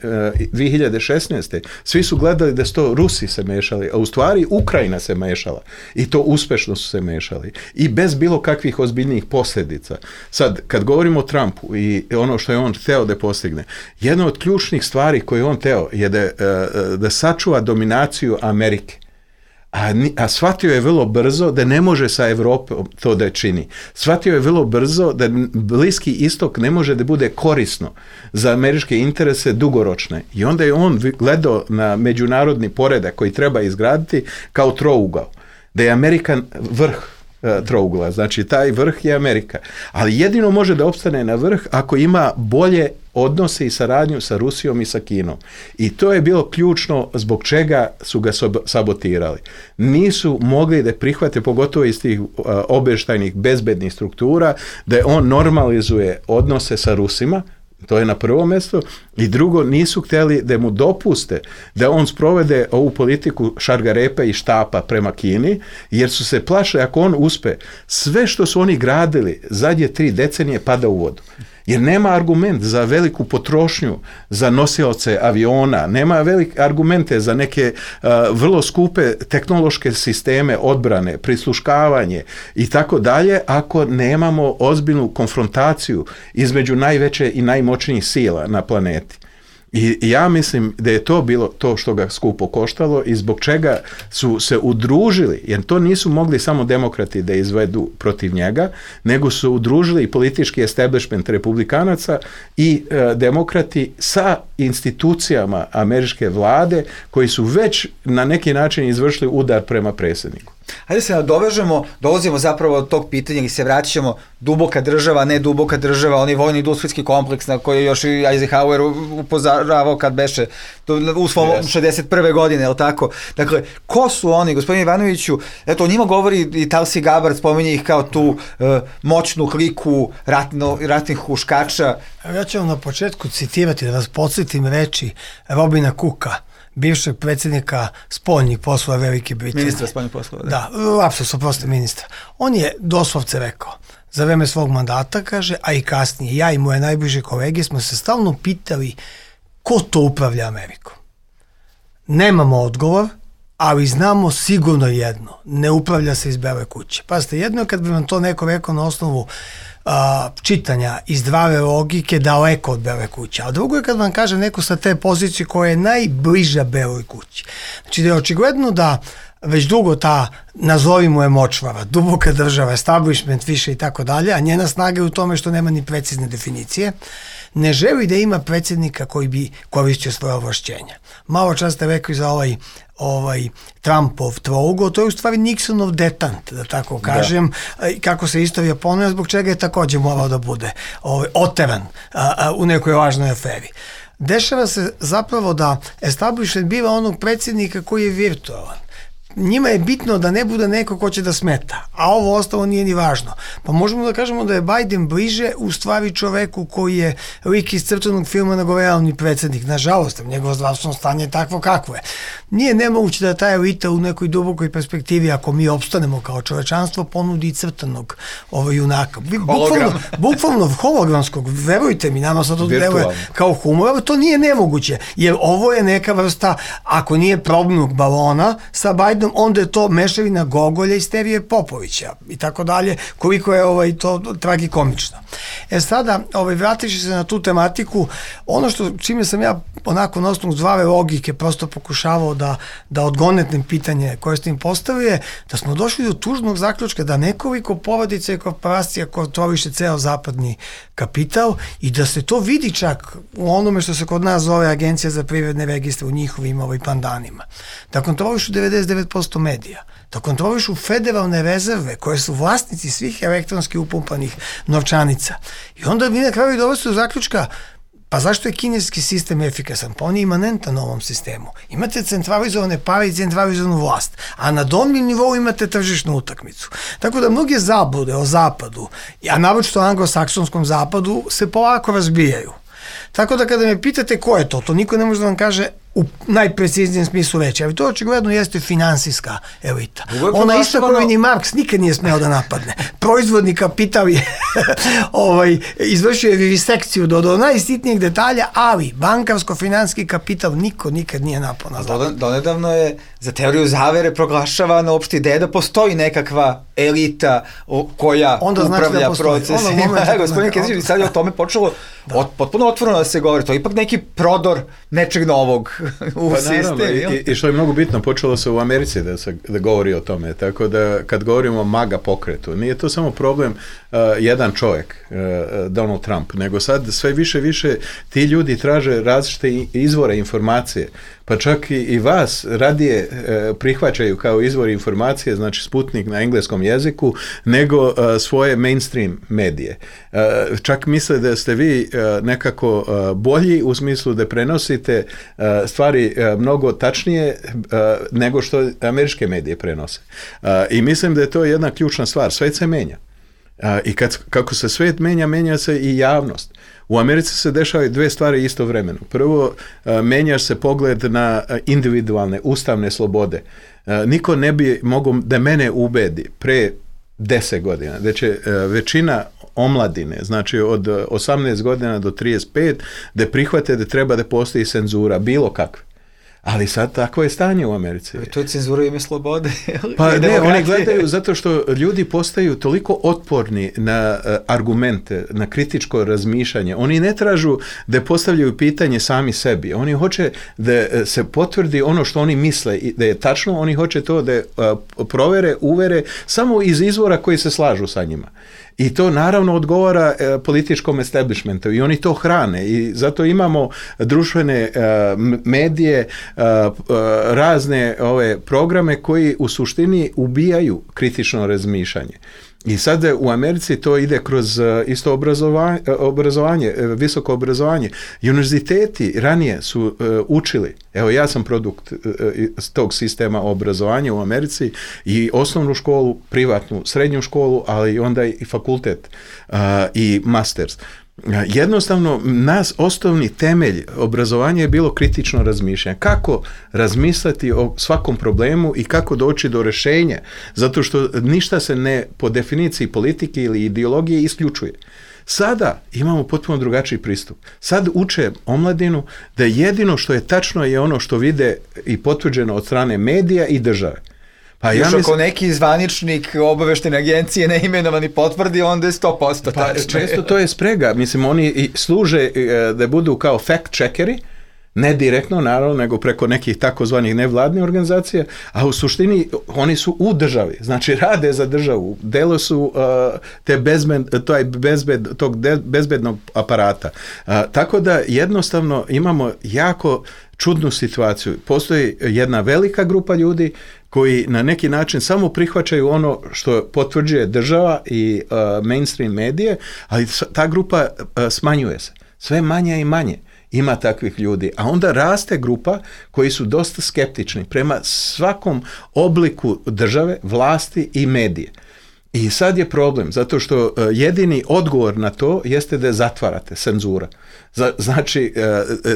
dvije hiljade šesnaeste. Svi su gledali da su to Rusi se mešali, a u stvari Ukrajina se mešala i to uspešno su se mešali i bez bilo kakvih ozbiljnijih posljedica. Sad, kad govorimo o Trumpu i ono što je on hteo da postigne, jedna od ključnih stvari koje on hteo je da, da sačuva dominaciju Amerike. A, a shvatio je vrlo brzo da ne može sa Evropom to da čini. Shvatio je vrlo brzo da Bliski istok ne može da bude korisno za američke interese dugoročne. I onda je on gledao na međunarodni poredak koji treba izgraditi kao trougao. Da je Amerika vrh trougla, znači taj vrh je Amerika. Ali jedino može da opstane na vrh ako ima bolje odnose i saradnju sa Rusijom i sa Kinom. I to je bilo ključno zbog čega su ga sabotirali. Nisu mogli da prihvate, pogotovo iz tih uh, obavještajnih bezbednih struktura, da on normalizuje odnose sa Rusima, to je na prvo mjesto, i drugo, nisu htjeli da mu dopuste da on sprovede ovu politiku šargarepa i štapa prema Kini, jer su se plašili ako on uspe, sve što su oni gradili zadnje tri decenije pada u vodu. Jer nema argument za veliku potrošnju za nosioce aviona, nema velike argumente za neke uh, vrlo skupe tehnološke sisteme odbrane, prisluškavanje i tako dalje, ako nemamo ozbiljnu konfrontaciju između najveće i najmoćnijih sila na planeti. I ja mislim da je to bilo to što ga skupo koštalo i zbog čega su se udružili, jer to nisu mogli samo demokrati da izvedu protiv njega, nego su udružili i politički establishment republikanaca i e, demokrati sa institucijama američke vlade koji su već na neki način izvršili udar prema predsjedniku. Hajde se nadovežemo, dolazimo zapravo od tog pitanja i se vraćamo duboka država, ne duboka država, onaj vojni industrijski kompleks na koji je još i Eisenhower upozoravao kad beše u svom yes. šezdeset prve godine, je li tako? Dakle, ko su oni, gospodine Ivanoviću, eto, o njima govori i Tulsi Gabbard, spominje ih kao tu uh, moćnu kliku ratno, ratnih huškača. Ja ću vam na početku citirati, da vas podsjetim reči Robina Cooka, bivšeg predsjednika spoljnih poslova Velike Britanije. Ministra spoljnih poslova, da. Da, apsolutno prosto ministra. On je doslovce rekao, za vreme svog mandata, kaže, a i kasnije, ja i moje najbliže kolege smo se stalno pitali ko to upravlja Amerikom. Nemamo odgovor, ali znamo sigurno jedno, ne upravlja se iz Bele kuće. Pazite, jedno je kad bi vam to neko rekao na osnovu a, čitanja iz zdrave logike daleko od Bele kuće, a drugo je kad vam kaže neko sa te pozicije koja je najbliža Beloj kući. Znači da je očigledno da već dugo ta, nazovimo je močvara, duboka država, establishment više i tako dalje, a njena snaga je u tome što nema ni precizne definicije, ne želi da ima predsjednika koji bi koristio svoje ovlašćenja. Malo čas ste rekli za ovaj ovaj Trumpov trougo, to je u stvari Nixonov detant, da tako kažem, da. Kako se istorija ponavlja, zbog čega je također morao da bude ovaj, oteran a, a, u nekoj važnoj aferi. Dešava se zapravo da establishment biva onog predsjednika koji je virtualan. Njima je bitno da ne bude neko ko će da smeta, a ovo ostalo nije ni važno. Pa možemo da kažemo da je Biden bliže u stvari čoveku koji je lik iz crtanog filma nego realni predsjednik. Nažalost, njegovo zdravstveno stanje je takvo kakvo je. Nije nemoguće da ta elita u nekoj dubokoj perspektivi, ako mi opstanemo kao čovečanstvo, ponudi i crtanog ovaj junaka. Bukvalno, bukvalno hologramskog, verujte mi, nama sad to deluje kao humor, ali to nije nemoguće, jer ovo je neka vrsta, ako nije probnog balona sa Bidenom, onda je to mešavina Gogolja i Sterije Popovića i tako dalje, koliko je ovaj, to tragikomično. E sada, ovaj, vratiš se na tu tematiku, ono što čime sam ja onako na osnovu zdrave logike prosto pokušavao da, da odgonetnem pitanje koje ste im postavio je da smo došli do tužnog zaključka da nekoliko porodica i korporacija kontroliše ceo zapadni kapital i da se to vidi čak u onome što se kod nas zove Agencija za privredne registre u njihovim ovaj, pandanima. Da kontrolišu devedeset devet posto medija, da kontrolišu federalne rezerve koje su vlasnici svih elektronski upumpanih novčanica. I onda vi na kraju dovesti do zaključka, pa zašto je kineski sistem efikasan? Pa on je imanentan ovom sistemu. Imate centralizovane pare i centralizovanu vlast, a na donjem nivou imate tržišnu utakmicu. Tako da mnoge zablude o zapadu, a naročito o anglosaksonskom zapadu, se polako razbijaju. Tako da kada me pitate ko je to, to niko ne može da vam kaže u najpreciznijem smislu reći, ali to očigledno jeste finansijska elita. Ona isto kao ni Marks nikad nije smeo da napadne. Proizvodni kapital je ovaj, izvršio je vivisekciju do, do najsitnijeg detalja, ali bankarsko-finanski kapital niko nikad nije napao na zapad. Donedavno je za teoriju zavere proglašavana opšta ideja da postoji nekakva elita koja onda upravlja znači procesima. Gospodin Kezić, sad je o tome počelo od, potpuno otvoreno da se govori. To je ipak neki prodor nečeg novog u pa sistem. Naravno, i, i što je mnogo bitno, počelo se u Americi da se da govori o tome, tako da kad govorimo o MAGA pokretu, nije to samo problem uh, jedan čovjek, uh, Donald Trump, nego sad sve više više ti ljudi traže različite izvore informacije, pa čak i, i vas radije uh, prihvaćaju kao izvor informacije, znači Sputnik na engleskom jeziku, nego uh, svoje mainstream medije. Uh, čak misle da ste vi uh, nekako uh, bolji u smislu da prenosite uh, stvari uh, mnogo tačnije uh, nego što američke medije prenose. Uh, I mislim da je to jedna ključna stvar. Svet se menja. Uh, I kad, kako se svet menja, menja se i javnost. U Americi se dešavaju dve stvari istovremeno. Prvo, uh, menja se pogled na individualne, ustavne slobode. Uh, niko ne bi mogao da mene ubedi pre deset godina, da će uh, većina omladine, znači od osamnaest godina do trideset pet, da prihvate da treba da postoji cenzura, bilo kakve. Ali sad tako je stanje u Americi. To je cenzura ime slobode. Pa ne, oni gledaju zato što ljudi postaju toliko otporni na uh, argumente, na kritičko razmišljanje. Oni ne tražu da postavljaju pitanje sami sebi. Oni hoće da uh, se potvrdi ono što oni misle i da je tačno. Oni hoće to da uh, provere, uvere samo iz izvora koji se slažu sa njima. I to naravno odgovara e, političkom establishmentu i oni to hrane i zato imamo društvene e, medije, e, e, razne ove programe koji u suštini ubijaju kritično razmišljanje. I sad u Americi to ide kroz isto obrazovanje, obrazovanje visoko obrazovanje. Univerziteti ranije su uh, učili, evo ja sam produkt uh, tog sistema obrazovanja u Americi i osnovnu školu, privatnu, srednju školu, ali onda i fakultet uh, i masters. Jednostavno, nas osnovni temelj obrazovanja je bilo kritično razmišljanje. Kako razmisliti o svakom problemu i kako doći do rješenja, zato što ništa se ne po definiciji politike ili ideologije isključuje. Sada imamo potpuno drugačiji pristup. Sad uče omladinu da jedino što je tačno je ono što vide i potvrđeno od strane medija i države. Pa još ja mislim, ako neki zvaničnik obaveštene agencije neimenovani potvrdi, onda je sto posto tačno. Pa često to je sprega. Mislim, oni služe da budu kao fact-checkeri, Ne direktno, naravno, nego preko nekih takozvanih nevladnih organizacija, a u suštini oni su u državi, znači rade za državu, delo su uh, te bezbed, to je bezbed, tog de, bezbednog aparata. Uh, tako da jednostavno imamo jako čudnu situaciju. Postoji jedna velika grupa ljudi koji na neki način samo prihvaćaju ono što potvrđuje država i uh, mainstream medije, ali ta grupa uh, smanjuje se. Sve manje i manje ima takvih ljudi. A onda raste grupa koji su dosta skeptični prema svakom obliku države, vlasti i medije. I sad je problem, zato što uh, jedini odgovor na to jeste da je zatvarate, cenzura. Za, znači, uh,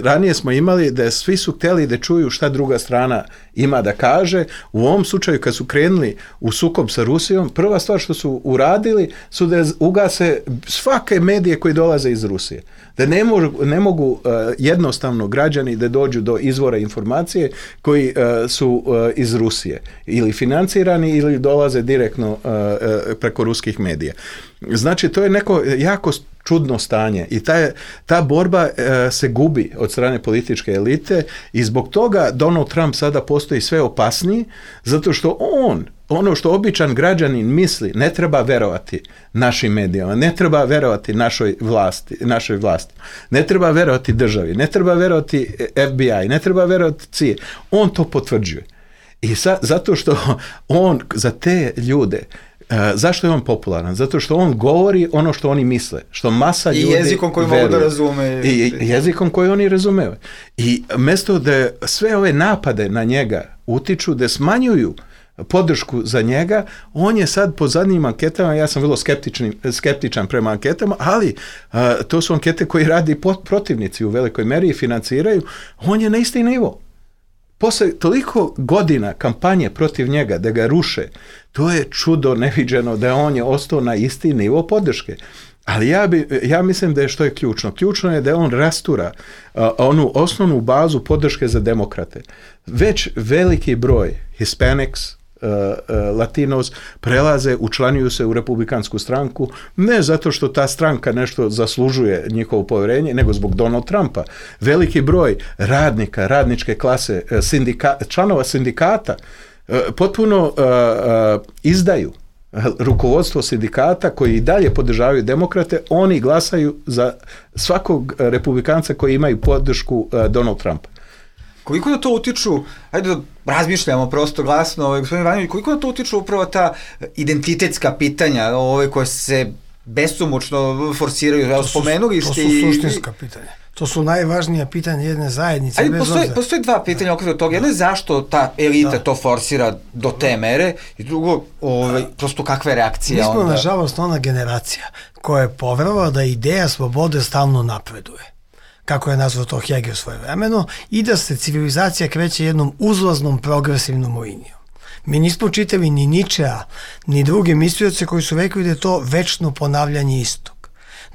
ranije smo imali da svi su htjeli da čuju šta druga strana ima da kaže. U ovom slučaju, kad su krenuli u sukob sa Rusijom, prva stvar što su uradili su da ugase svake medije koji dolaze iz Rusije. Da ne mogu, ne mogu uh, jednostavno građani da dođu do izvora informacije koji uh, su uh, iz Rusije. Ili financirani ili dolaze direktno uh, uh, preko ruskih medija. Znači, to je neko jako čudno stanje i ta, ta borba e, se gubi od strane političke elite i zbog toga Donald Trump sada postoji sve opasniji, zato što on, ono što običan građanin misli, ne treba verovati našim medijama, ne treba verovati našoj vlasti, našoj vlasti, ne treba verovati državi, ne treba verovati F B I, ne treba verovati C I A. On to potvrđuje. I sa, zato što on za te ljude, Uh, zašto je on popularan? Zato što on govori ono što oni misle, što masa ljudi i jezikom koji mogu da razume. I, I jezikom koji oni razumeju. I mjesto da sve ove napade na njega utiču, da smanjuju podršku za njega, on je sad po zadnjim anketama, ja sam vrlo skeptičan, skeptičan prema anketama, ali uh, to su ankete koji radi protivnici u velikoj meri i financiraju, on je na isti nivo. Posle toliko godina kampanje protiv njega, da ga ruše, to je čudo neviđeno da on je ostao na isti nivo podrške. Ali ja, bi, ja mislim da je što je ključno. Ključno je da on rastura uh, onu osnovnu bazu podrške za demokrate. Već veliki broj Hispanics, Uh, uh, Latinos prelaze, učlanjuju se u republikansku stranku, ne zato što ta stranka nešto zaslužuje njihovo povjerenje, nego zbog Donald Trumpa. Veliki broj radnika, radničke klase, sindika, članova sindikata uh, potpuno uh, uh, izdaju rukovodstvo sindikata koji i dalje podržavaju demokrate, oni glasaju za svakog republikanca koji imaju podršku uh, Donald Trumpa. Koliko da to utiču, ajde da razmišljamo prosto glasno, ovaj, gospodin Ivanović, koliko da to utiču upravo ta identitetska pitanja, ove koje se besomučno forsiraju, to su, spomenuli ste. To su suštinska pitanja. To su najvažnija pitanja jedne zajednice. Ali postoji, postoji dva pitanja okolo toga. Jedno je zašto ta elita da. to forsira do te mere i drugo, ovaj, prosto kakva je reakcija Mi smo, onda? nažalost, ona generacija koja je poverovala da ideja slobode stalno napreduje, kako je nazvao to Hegel svojevremeno, i da se civilizacija kreće jednom uzlaznom progresivnom linijom. Mi nismo čitali ni Ničea, ni druge mislioce koji su rekli da je to večno ponavljanje istog.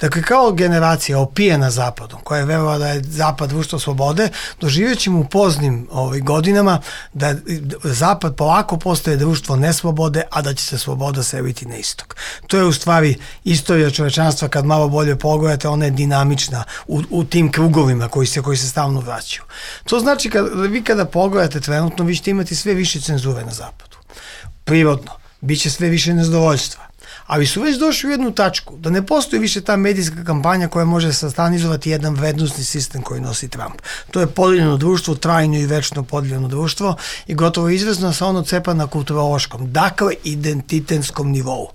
Dakle, kao generacija opijena Zapadom, koja je verovala da je Zapad društvo slobode, doživjet ćemo u poznim ovaj, godinama da Zapad polako postaje društvo neslobode, a da će se sloboda seliti na istok. To je u stvari istorija čovečanstva, kad malo bolje pogledate, ona je dinamična u, u tim krugovima koji se, koji se stalno vraćaju. To znači, kad, vi kada pogledate trenutno, vi ćete imati sve više cenzure na Zapadu. Prirodno, bit će sve više nezadovoljstva. Ali su već došli u jednu tačku, da ne postoji više ta medijska kampanja koja može sastanizovati jedan vrednostni sistem koji nosi Trump. To je podijeljeno društvo, trajno i večno podijeljeno društvo i gotovo izvezno sa ono cepa na kulturološkom, dakle identitetskom nivou.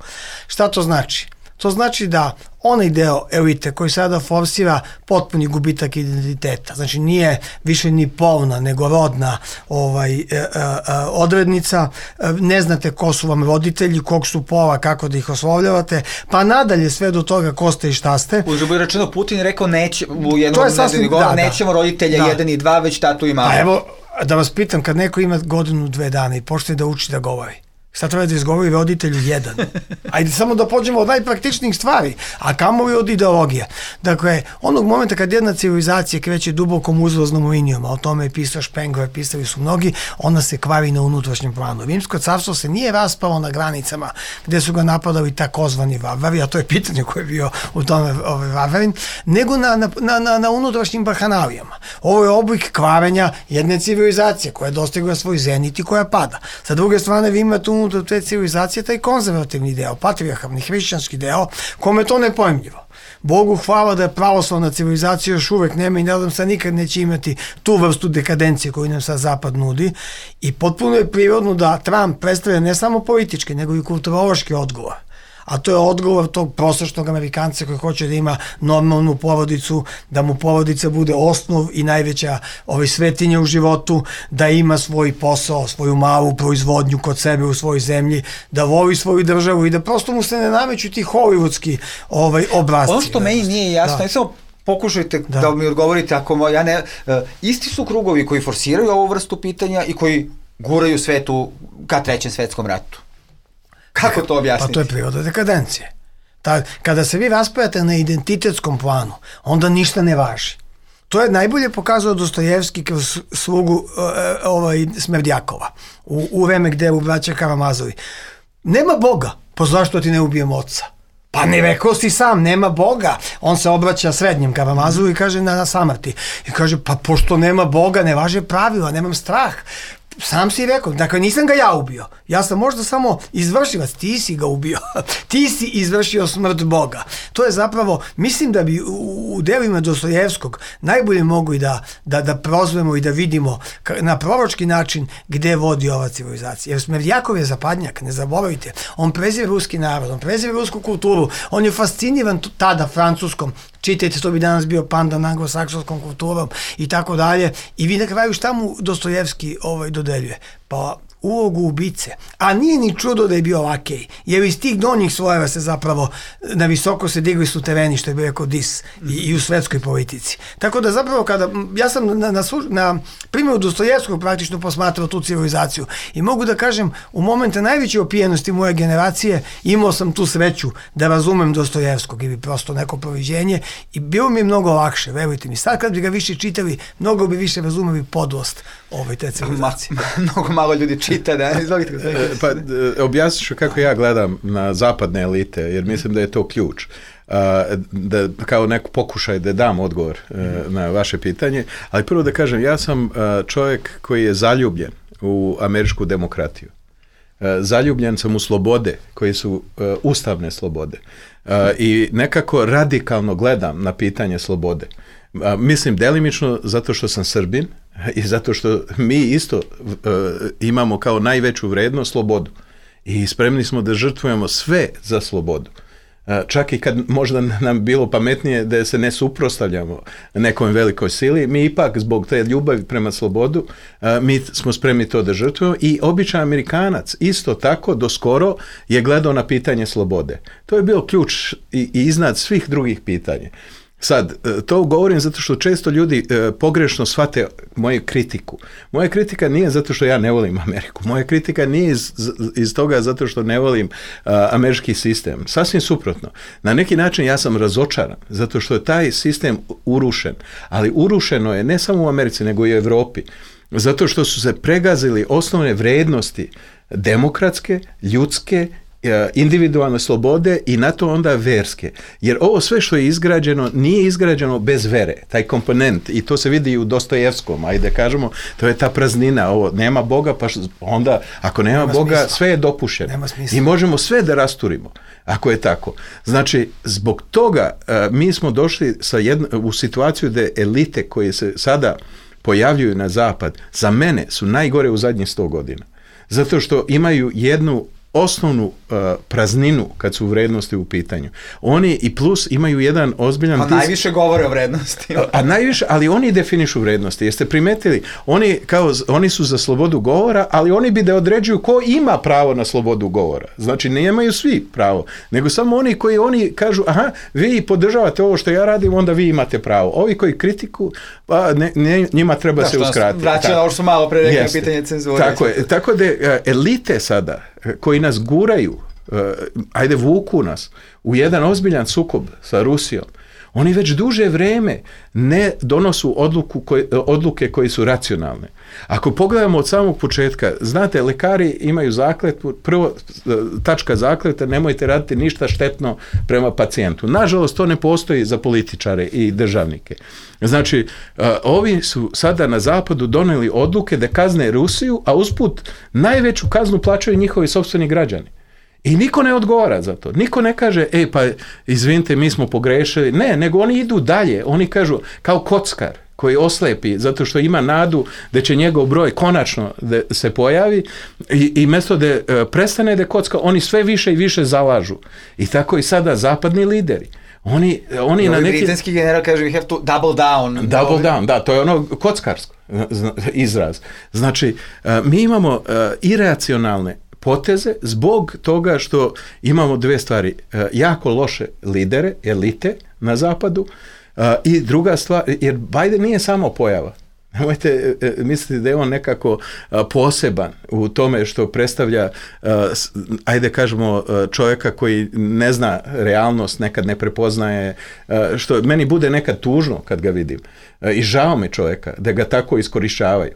Šta to znači? To znači da onaj deo elite koji sada forsira potpuni gubitak identiteta, znači nije više ni polna, nego rodna ovaj, e, e, odrednica, ne znate ko su vam roditelji, kog su pola, kako da ih oslovljavate, pa nadalje sve do toga ko ste i šta ste. Uzgled rečeno, Putin je rekao neće, u jednom nedeljni govor, da, nećemo roditelja da. jedan i dva, već tatu i mamu. A evo, da vas pitam, kad neko ima godinu, dve dana i počne da uči da govori, Šta treba da izgovori roditelju jedan? Ajde samo da pođemo od najpraktičnijih stvari, a kamoli od ideologije. Dakle, onog momenta kad jedna civilizacija kreće dubokom uzlaznom linijom, a o tome je pisao Spengler, pisali su mnogi, ona se kvari na unutrašnjem planu. Rimsko carstvo se nije raspalo na granicama gde su ga napadali takozvani varvari, a to je pitanje koje je bio u tome ovaj, varvarin, nego na, na, na, na, na unutrašnjim bahanalijama. Ovo je oblik kvarenja jedne civilizacije koja je dostigla svoj zenit i koja pada. Sa druge strane, vi imate unutar te civilizacije taj konzervativni deo, patrijarhalni, hrišćanski deo, kome je to nepojmljivo. Bogu hvala da je pravoslavna civilizacija još uvek nema i nadam se nikad neće imati tu vrstu dekadencije koju nam sad Zapad nudi i potpuno je prirodno da Trump predstavlja ne samo politički, nego i kulturološki odgovor. A to je odgovor tog prosječnog Amerikanca koji hoće da ima normalnu porodicu, da mu porodica bude osnov i najveća ovaj, svetinja u životu, da ima svoj posao, svoju malu proizvodnju kod sebe u svojoj zemlji, da voli svoju državu i da prosto mu se ne nameću ti hollywoodski ovaj, obrazci. Ono što meni nije jasno, da. Samo pokušajte da. da mi odgovorite, ako ja ne, uh, isti su krugovi koji forsiraju ovu vrstu pitanja i koji guraju svetu ka trećem svetskom ratu. Kako to objasniti? Pa to je priroda dekadencije. Ta, kada se vi raspajate na identitetskom planu, onda ništa ne važi. To je najbolje pokazao Dostojevski kroz slugu uh, ovaj, Smerdjakova u, u vreme gde u braća Karamazovi. Nema Boga, pa zašto ti ne ubijem oca? Pa ne rekao si sam, nema Boga. On se obraća srednjem Karamazovu i kaže na, na samrti. I kaže, pa pošto nema Boga, ne važe pravila, nemam strah. Sam si rekao, dakle nisam ga ja ubio, ja sam možda samo izvršilac, ti si ga ubio, ti si izvršio smrt Boga. To je zapravo, mislim da bi u, u delima Dostojevskog najbolje mogli da, da, da prozvemo i da vidimo na proročki način gde vodi ova civilizacija. Jer Smerdjakov je zapadnjak, ne zaboravite, on prezire ruski narod, on prezire rusku kulturu, on je fasciniran tada francuskom, čitajte, to bi danas bio pandan anglosaksonskom kulturom i tako dalje. I vi na kraju šta mu Dostojevski ovaj, dodeljuje? Pa ulogu ubice. A nije ni čudo da je bio lakej, jer iz tih donjih slojeva se zapravo na visoko se digli sutereni, što je bio rekao Dis, i, i u svetskoj politici. Tako da zapravo kada, ja sam na, na, na primjeru Dostojevskog praktično posmatrao tu civilizaciju i mogu da kažem, u momente najveće opijenosti moje generacije imao sam tu sreću da razumem Dostojevskog ili prosto neko proviđenje i bilo mi je mnogo lakše, verujte mi. Sad kad bi ga više čitali, mnogo bi više razumeli podlost ove te civilizacije. Ma, mnogo malo ljudi čita, da, izvolite. Pa, objasnit ću kako ja gledam na zapadne elite, jer mislim da je to ključ. Da, kao neko pokušaj da dam odgovor na vaše pitanje, ali prvo da kažem, ja sam čovjek koji je zaljubljen u američku demokratiju. Zaljubljen sam u slobode, koji su ustavne slobode. I nekako radikalno gledam na pitanje slobode. Mislim delimično zato što sam Srbin i zato što mi isto uh, imamo kao najveću vrednost slobodu i spremni smo da žrtvujemo sve za slobodu. Uh, čak i kad možda nam bilo pametnije da se ne suprotstavljamo nekom velikoj sili, mi ipak zbog te ljubavi prema slobodu uh, mi smo spremni to da žrtvujemo i običan Amerikanac isto tako do skoro je gledao na pitanje slobode. To je bio ključ i, i iznad svih drugih pitanja. Sad, to govorim zato što često ljudi e, pogrešno shvate moju kritiku. Moja kritika nije zato što ja ne volim Ameriku. Moja kritika nije iz, iz toga zato što ne volim a, američki sistem. Sasvim suprotno. Na neki način ja sam razočaran zato što je taj sistem urušen. Ali urušeno je ne samo u Americi nego i u Evropi. Zato što su se pregazili osnovne vrednosti demokratske, ljudske, individualne slobode i na to onda verske. Jer ovo sve što je izgrađeno nije izgrađeno bez vere. Taj komponent, i to se vidi i u Dostojevskom, ajde kažemo, to je ta praznina, ovo, nema Boga, pa onda ako nema, nema Boga, smisla. Sve je dopušteno. I možemo sve da rasturimo, ako je tako. Znači, zbog toga uh, mi smo došli sa jedno, u situaciju da elite koje se sada pojavljuju na zapad, za mene su najgore u zadnjih sto godina. Zato što imaju jednu osnovnu uh, prazninu kad su vrednosti u pitanju. Oni i plus imaju jedan ozbiljan... Pa najviše govore o vrednosti. A, a najviše, ali oni definišu vrednosti. Jeste primetili? Oni, kao, oni su za slobodu govora, ali oni bi da određuju ko ima pravo na slobodu govora. Znači, nemaju svi pravo, nego samo oni koji oni kažu, aha, vi podržavate ovo što ja radim, onda vi imate pravo. Ovi koji kritiku, pa ne, ne, njima treba da, se uskratiti. Vraća na ovo što malo pre rekao pitanje cenzure. Tako je. Tako da elite sada koji nas guraju, ajde vuku nas u jedan ozbiljan sukob sa Rusijom, oni već duže vreme ne donosu odluku koje, odluke koje su racionalne. Ako pogledamo od samog početka, znate, lekari imaju zakletvu, prvo tačka zakleta, nemojte raditi ništa štetno prema pacijentu. Nažalost, to ne postoji za političare i državnike. Znači, ovi su sada na zapadu doneli odluke da kazne Rusiju, a usput najveću kaznu plaćaju njihovi sopstveni građani. I niko ne odgovara za to. Niko ne kaže, ej pa izvinite, mi smo pogrešili. Ne, nego oni idu dalje. Oni kažu, kao kockar koji oslepi zato što ima nadu da će njegov broj konačno da se pojavi i, i mjesto da prestane da kocka, oni sve više i više zalažu. I tako i sada zapadni lideri. Oni, oni na neki... britanski general kaže, we have to double down. Double down, da, to je ono kockarsko izraz. Znači, mi imamo iracionalne poteze zbog toga što imamo dve stvari, jako loše lidere, elite na zapadu, i druga stvar, jer Biden nije samo pojava. Nemojte misliti da je on nekako poseban u tome što predstavlja, ajde kažemo, čovjeka koji ne zna realnost, nekad ne prepoznaje, što meni bude nekad tužno kad ga vidim. I žao mi čovjeka da ga tako iskorišćavaju.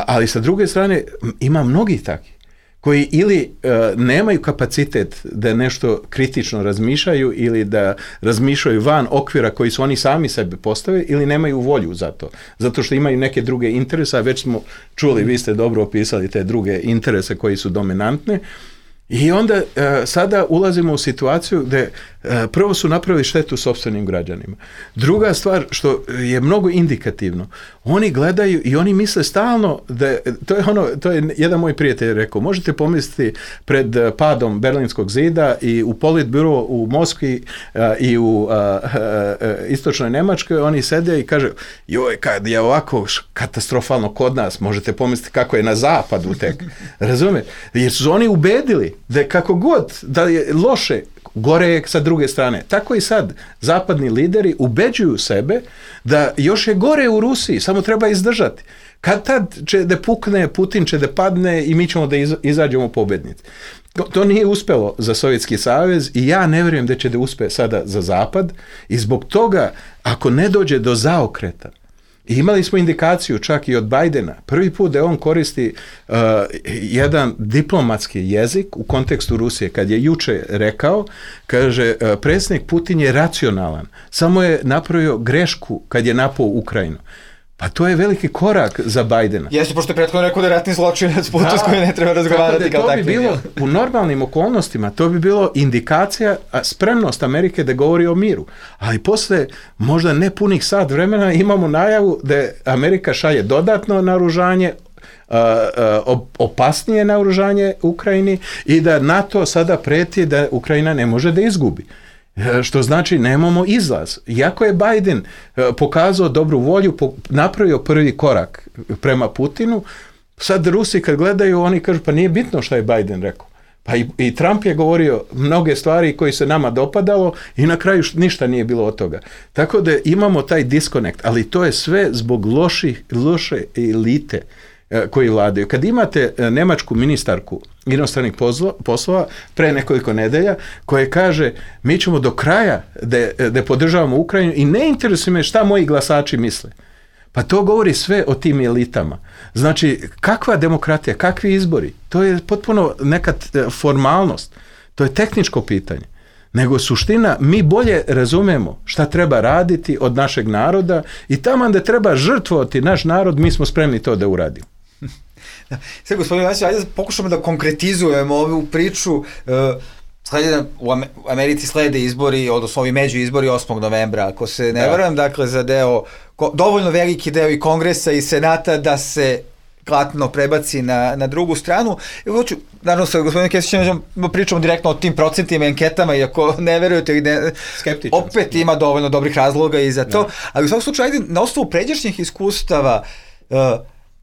Ali sa druge strane ima mnogi takvi koji ili uh, nemaju kapacitet da nešto kritično razmišljaju ili da razmišljaju van okvira koji su oni sami sebi postave ili nemaju volju za to. Zato što imaju neke druge interese, a već smo čuli, vi ste dobro opisali te druge interese koji su dominantne. I onda uh, sada ulazimo u situaciju gdje uh, prvo su napravili štetu sopstvenim građanima. Druga stvar što je mnogo indikativno, oni gledaju i oni misle stalno da, to je ono, to je jedan moj prijatelj rekao, možete pomisliti pred padom Berlinskog zida i u Politburo u Moskvi uh, i u uh, uh, istočnoj Njemačkoj, oni sede i kaže, joj, kad je ovako katastrofalno kod nas, možete pomisliti kako je na zapadu tek. Razumijete? Jer su oni ubedili da kako god da je loše, gore je sa druge strane. Tako i sad zapadni lideri ubeđuju sebe da još je gore u Rusiji, samo treba izdržati. Kad tad će da pukne, Putin će da padne i mi ćemo da izađemo pobednici. To nije uspjelo za Sovjetski savez i ja ne vjerujem da će da uspe sada za Zapad i zbog toga ako ne dođe do zaokreta, i imali smo indikaciju čak i od Bidena, prvi put da on koristi uh, jedan diplomatski jezik u kontekstu Rusije, kad je juče rekao, kaže, uh, predsjednik Putin je racionalan, samo je napravio grešku kad je napao Ukrajinu. Pa to je veliki korak za Bidena. Jeste, pošto je prethodno rekao da je ratni zločinac Putin s kojim ne treba razgovarati kao takvi. To bi bilo, u normalnim okolnostima, to bi bilo indikacija, spremnost Amerike da govori o miru. Ali posle možda ne punih sat vremena imamo najavu da Amerika šalje dodatno naoružanje, Uh, uh, opasnije naoružanje Ukrajini i da NATO sada preti da Ukrajina ne može da izgubi. Što znači nemamo izlaz. Iako je Biden pokazao dobru volju, napravio prvi korak prema Putinu, sad Rusi kad gledaju, oni kažu pa nije bitno što je Biden rekao. Pa i, i Trump je govorio mnoge stvari koji se nama dopadalo i na kraju ništa nije bilo od toga. Tako da imamo taj disconnect, ali to je sve zbog loših, loše elite koji vladaju. Kad imate nemačku ministarku inostranih poslova pre nekoliko nedelja koje kaže mi ćemo do kraja da, da podržavamo Ukrajinu i ne interesuje me šta moji glasači misle. Pa to govori sve o tim elitama. Znači, kakva demokratija, kakvi izbori? To je potpuno neka formalnost. To je tehničko pitanje. Nego suština, mi bolje razumemo šta treba raditi od našeg naroda i tamo da treba žrtvovati naš narod, mi smo spremni to da uradimo. Sve, gospodine Vasić, ajde da pokušamo da konkretizujemo ovu priču. Slede, u Americi slede izbori, odnosno ovi među izbori osmog novembra, ako se ne varam, dakle za deo, dovoljno veliki deo i Kongresa i Senata da se klatno prebaci na, na drugu stranu. I hoću, naravno sa gospodinom Kesićem pričamo direktno o tim procentima i anketama, iako ne verujete ili ne, skeptičan opet sam. Ima dovoljno dobrih razloga i za to, ja. Ali u svakom slučaju, ajde, na osnovu pređašnjih iskustava, uh,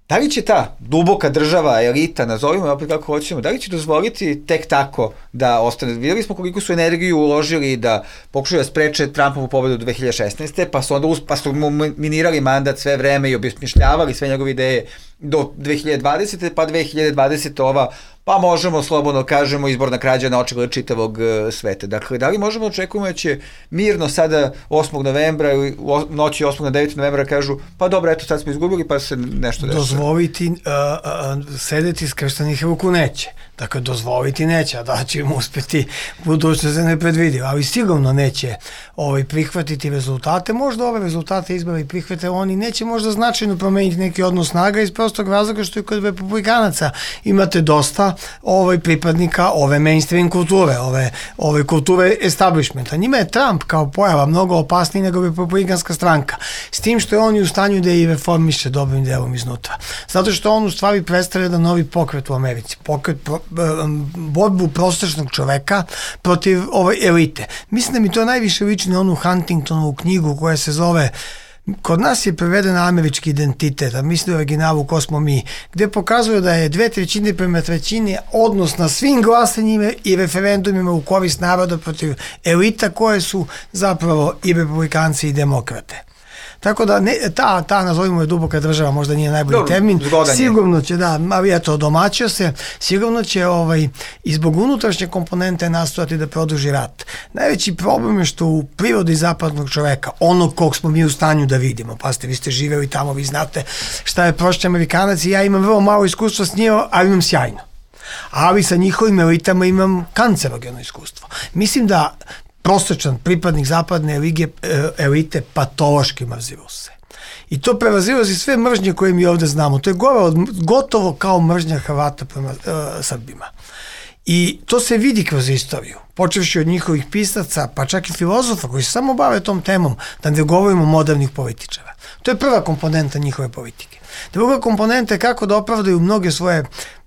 da li će ta duboka država, elita, nazovimo opet kako hoćemo, da li će dozvoliti tek tako da ostane? Vidjeli smo koliko su energiju uložili da pokušaju da spreče Trumpovu pobedu dve hiljade šesnaeste. pa su onda pa su mu minirali mandat sve vreme i obesmišljavali sve njegove ideje do dve hiljade dvadesete. pa dve hiljade dvadesete. ova pa možemo slobodno kažemo izborna krađa na očigled čitavog uh, sveta. Dakle, da li možemo očekujemo da će mirno sada osmog novembra, o, noći osmog na deveti novembra kažu, pa dobro, eto sad smo izgubili, pa se nešto dešava. Dozvoliti uh, uh, sedeti skrštenih ruku neće. Dakle, dozvoliti neće, a da će im uspeti, budućnost se ne predvidi, ali sigurno neće ovaj, prihvatiti rezultate. Možda ove rezultate izbora i prihvate, oni neće možda značajno promeniti neki odnos snaga iz prostog razloga što i kod republikanaca imate dosta ovaj, pripadnika ove mainstream kulture, ove, ove kulture establishmenta. Njima je Trump kao pojava mnogo opasniji nego republikanska stranka, s tim što je on u stanju da i reformiše dobrim delom iznutra. Zato što on u stvari predstavlja da novi pokret u Americi, pokret pro, borbu prosječnog čoveka protiv ove elite. Mislim da mi to najviše liči na onu Huntingtonovu knjigu koja se zove, kod nas je prevedena Američki identitet, a mislim da je originalu Ko smo mi, gde pokazuje da je dve trećine prema trećini odnos na svim glasanjima i referendumima u korist naroda protiv elita koje su zapravo i republikanci i demokrate. Tako da ne, ta, ta nazovimo je duboka država, možda nije najbolji Dobro, termin, sigurno će, da, ali eto, domaćio se, sigurno će ovaj, i zbog unutrašnje komponente nastojati da produži rat. Najveći problem je što u prirodi zapadnog čoveka, onog kog smo mi u stanju da vidimo, pa ste, vi ste živeli tamo, vi znate šta je prošli Amerikanac i ja imam vrlo malo iskustva s njima, ali imam sjajno. Ali sa njihovim elitama imam kancerogeno iskustvo. Mislim da prosječan pripadnik zapadne lige, elite patološki mrzi Ruse. I to prevazilazi sve mržnje koje mi ovde znamo. To je gore, gotovo kao mržnja Hrvata prema uh, Srbima. I to se vidi kroz istoriju. Počevši od njihovih pisaca, pa čak i filozofa koji se samo bave tom temom, da ne govorimo modernih političara. To je prva komponenta njihove politike. Druga komponenta je kako da opravdaju mnoge svoje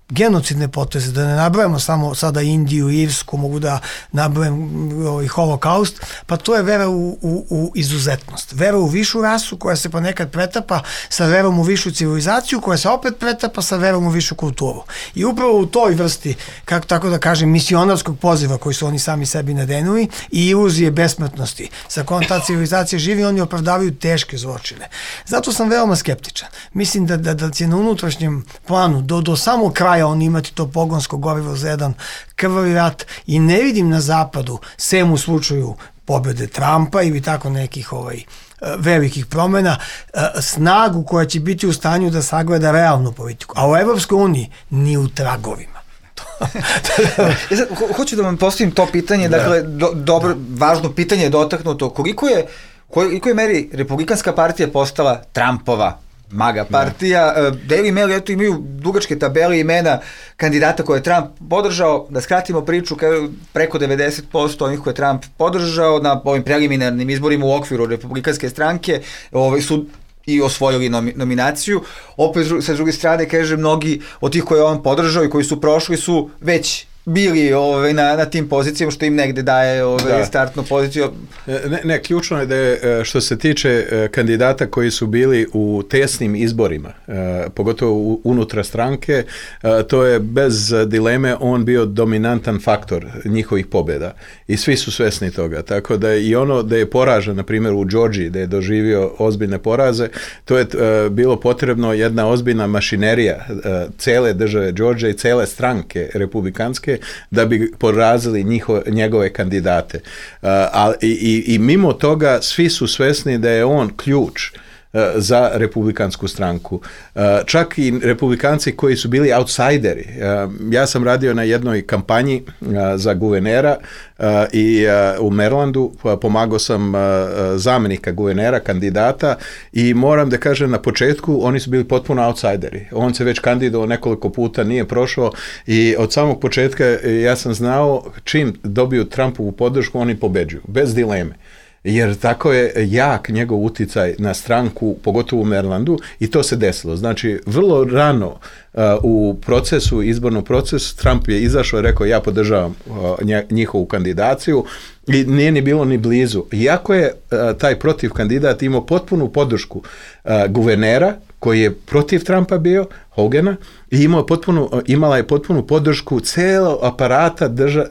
genocidne poteze, da ne nabrojamo samo sada Indiju, Irsku, mogu da nabrojam ovaj holokaust, pa to je vera u, u, u izuzetnost. Vera u višu rasu koja se ponekad pretapa sa verom u višu civilizaciju, koja se opet pretapa sa verom u višu kulturu. I upravo u toj vrsti, kako tako da kažem, misionarskog poziva koji su oni sami sebi nadenuli i iluzije besmrtnosti sa kojom ta civilizacija živi, oni opravdavaju teške zločine. Zato sam veoma skeptičan. Mislim da, da, da će na unutrašnjem planu do, do samog kraja on imati to pogonsko gorivo za jedan krvavi rat i ne vidim na zapadu, sem u slučaju pobjede Trumpa ili tako nekih ovaj, velikih promjena, snagu koja će biti u stanju da sagleda realnu politiku. A u Evropskoj uniji ni u tragovima. Hoću da vam postavim to pitanje, dakle, do, dobro, važno pitanje je dotaknuto, koliko je, koliko je meri Republikanska partija postala Trumpova maga partija. Daily Mail, eto, imaju dugačke tabele imena kandidata koje je Trump podržao. Da skratimo priču, preko devedeset posto onih koje je Trump podržao na ovim preliminarnim izborima u okviru Republikanske stranke ovaj, su i osvojili nominaciju. Opet, sa druge strane, kaže, mnogi od tih koje on podržao i koji su prošli su već bili ovaj, na, na tim pozicijama, što im negde daje ovaj, da. startnu poziciju. Ne, ne, ključno je da je, što se tiče kandidata koji su bili u tesnim izborima, pogotovo unutra stranke, to je bez dileme on bio dominantan faktor njihovih pobjeda. I svi su svesni toga. Tako da i ono da je poražen, na primjer u Georgiji, da je doživio ozbiljne poraze, to je bilo potrebno jedna ozbiljna mašinerija cele države Georgije i cele stranke republikanske da bi porazili njiho, njegove kandidate. Uh, a, i, i mimo toga svi su svesni da je on ključ uh, za republikansku stranku. Uh, čak i republikanci koji su bili outsideri. Uh, ja sam radio na jednoj kampanji uh, za guvernera uh, i uh, u Marylandu uh, pomagao sam uh, zamjenika guvernera, kandidata, i moram da kažem, na početku oni su bili potpuno outsideri. On se već kandidovao nekoliko puta, nije prošao i od samog početka ja sam znao čim dobiju Trumpovu podršku oni pobeđuju, bez dileme. Jer tako je jak njegov uticaj na stranku, pogotovo u Marylandu, i to se desilo. Znači, vrlo rano uh, u procesu, izbornom procesu, Trump je izašao i rekao ja podržavam uh, njihovu kandidaciju i nije ni bilo ni blizu. Iako je uh, taj protiv kandidat imao potpunu podršku uh, guvernera, koji je protiv Trumpa bio, Hogana i imao potpunu, imala je potpunu podršku celog aparata drža,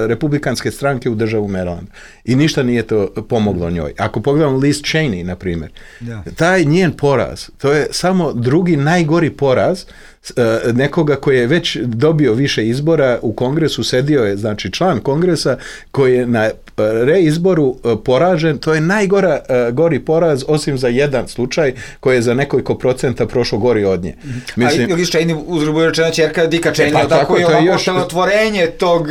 republikanske stranke u državu Maryland. I ništa nije to pomoglo njoj. Ako pogledamo Liz Cheney, na primjer, ja. taj njen poraz, to je samo drugi najgori poraz nekoga koji je već dobio više izbora u kongresu, sedio je, znači član kongresa koji je na reizboru poražen, to je najgora gori poraz osim za jedan slučaj koji je za nekoliko procenta prošlo gori od nje. Mislim, a Liz Cheney uzgrubo rečena ćerka Dicka Cheney, pa, tako je ovako još otvorenje tog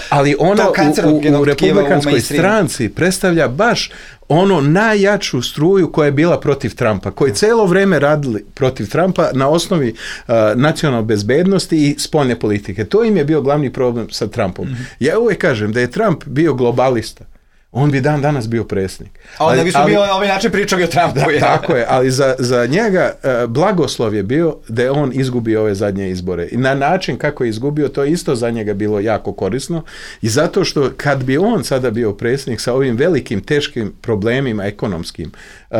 ali ona u, u republikanskoj stranci predstavlja baš ono najjaču struju koja je bila protiv Trumpa, koji celo vreme radili protiv Trumpa na osnovi uh, nacionalne bezbednosti i spoljne politike. To im je bio glavni problem sa Trumpom. Mm-hmm. Ja uvijek kažem da je Trump bio globalista, on bi dan danas bio predsjednik. A onda bi su bio na ovaj način pričali o Trumpu. Da, tako je, ali za, za njega uh, blagoslov je bio da je on izgubio ove zadnje izbore. I na način kako je izgubio, to je isto za njega bilo jako korisno. I zato što kad bi on sada bio predsjednik sa ovim velikim, teškim problemima ekonomskim, uh,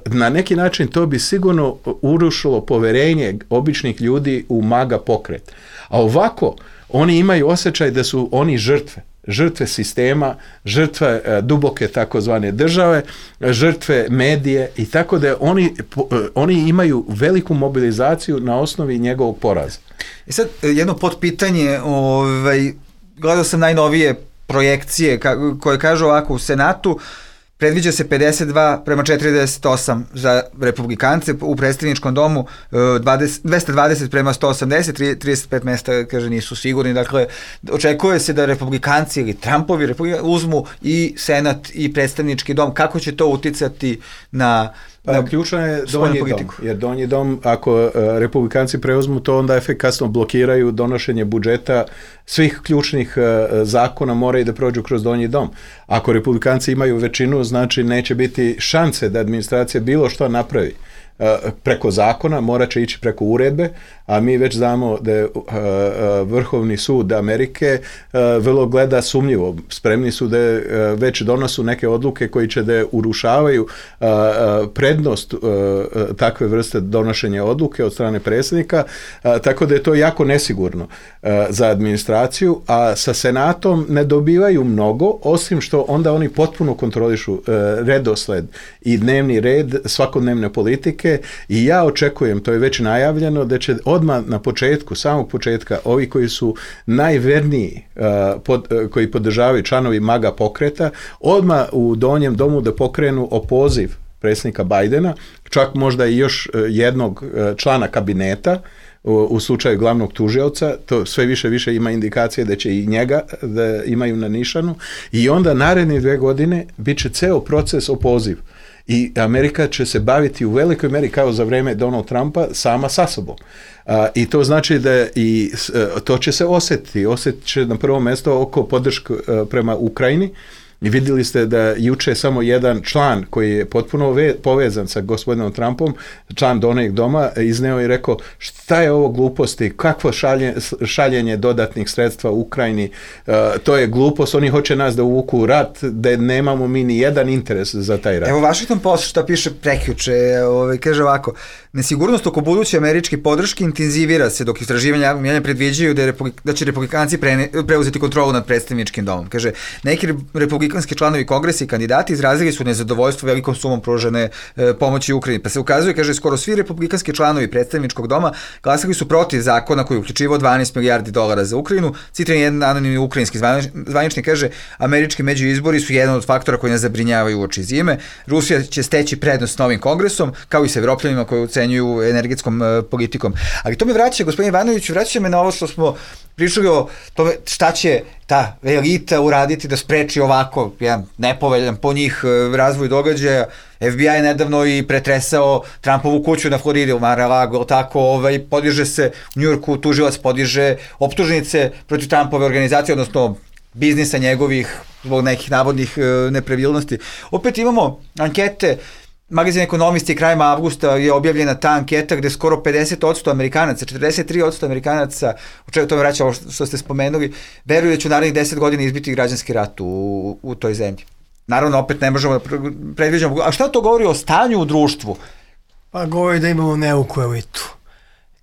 na neki način to bi sigurno urušilo poverenje običnih ljudi u MAGA pokret. A ovako, oni imaju osjećaj da su oni žrtve. Žrtve sistema, žrtve e, duboke takozvane države, žrtve medije i tako da oni, po, oni imaju veliku mobilizaciju na osnovi njegovog poraza. I sad jedno potpitanje, ovaj, gledao sam najnovije projekcije ka, koje kažu ovako u Senatu, predviđa se pedeset dva prema četrdeset osam za republikance, u predstavničkom domu dvadeset, dvesta dvadeset prema sto osamdeset, trideset pet mesta, kaže, nisu sigurni. Dakle, očekuje se da republikanci ili Trumpovi republikanci uzmu i Senat i predstavnički dom. Kako će to uticati na... Pa, ključno je donji dom, jer donji dom, ako uh, republikanci preuzmu to, onda efikasno blokiraju donošenje budžeta svih ključnih uh, zakona, moraju da prođu kroz donji dom. Ako republikanci imaju većinu, znači neće biti šanse da administracija bilo što napravi preko zakona, morat će ići preko uredbe, a mi već znamo da je Vrhovni sud Amerike vrlo gleda sumnjivo. Spremni su da već donosu neke odluke koji će da urušavaju prednost takve vrste donošenja odluke od strane predsjednika, tako da je to jako nesigurno za administraciju, a sa Senatom ne dobivaju mnogo, osim što onda oni potpuno kontrolišu redosled i dnevni red svakodnevne politike. I ja očekujem, to je već najavljeno, da će odmah na početku, samog početka, ovi koji su najverniji, uh, pod, uh, koji podržavaju članovi MAGA pokreta, odmah u donjem domu da pokrenu opoziv predsjednika Bidena, čak možda i još uh, jednog uh, člana kabineta, u, u slučaju glavnog tužioca, to sve više više ima indikacije da će i njega da imaju na nišanu, i onda naredne dve godine bit će ceo proces opoziv. I Amerika će se baviti u velikoj meri kao za vreme Donald Trumpa sama sa sobom. A, i to znači da i to će se osjetiti. Osjetit će na prvo mjesto oko podrške prema Ukrajini. I vidjeli ste da juče samo jedan član koji je potpuno ve, povezan sa gospodinom Trumpom, član Donjeg doma, izneo i rekao šta je ovo gluposti, kakvo šalje, šaljenje dodatnih sredstva u Ukrajini, uh, to je glupost, oni hoće nas da uvuku u rat, da nemamo mi ni jedan interes za taj rat. Evo Washington Post šta piše prekjuče, ovaj, kaže ovako, nesigurnost oko buduće američke podrške intenzivira se dok istraživanja javnog mnijenja predviđaju da, je republik, da će republikanci pre, preuzeti kontrolu nad predstavničkim domom. Kaže, neki republikanski članovi kongresa i kandidati izrazili su nezadovoljstvo velikom sumom pružene e, pomoći Ukrajini. Pa se ukazuje, kaže, skoro svi republikanski članovi predstavničkog doma glasali su protiv zakona koji je uključivao dvanaest milijardi dolara za Ukrajinu. Citran jedan anonimni ukrajinski zvaničnik kaže, američki međuizbori su jedan od faktora koji nas zabrinjavaju uoči zime. Rusija će steći prednost s novim kongresom, kao i sa Evropljanima koji ocenjuju energetskom e, politikom. Ali to me vraća, gospodin Ivanović, vraća me na ovo što smo pričali o tome šta će ta elita uraditi da spreči ovako jedan nepoveljan po njih razvoj događaja. F B I je nedavno i pretresao Trumpovu kuću na Floridi, u Mar-a-Lago, tako, ovaj, podiže se u Njujorku, tužilac podiže optužnice protiv Trumpove organizacije, odnosno biznisa njegovih zbog nekih navodnih e, nepravilnosti. Opet imamo ankete. Magazin Ekonomisti krajem avgusta je objavljena ta anketa gde skoro pedeset odsto Amerikanaca, četrdeset tri odsto Amerikanaca, o čemu to me vraća ovo što ste spomenuli, veruju da će u narednih deset godina izbiti građanski rat u, u toj zemlji. Naravno, opet ne možemo da predviđamo. A šta to govori o stanju u društvu? Pa govori da imamo neuku elitu.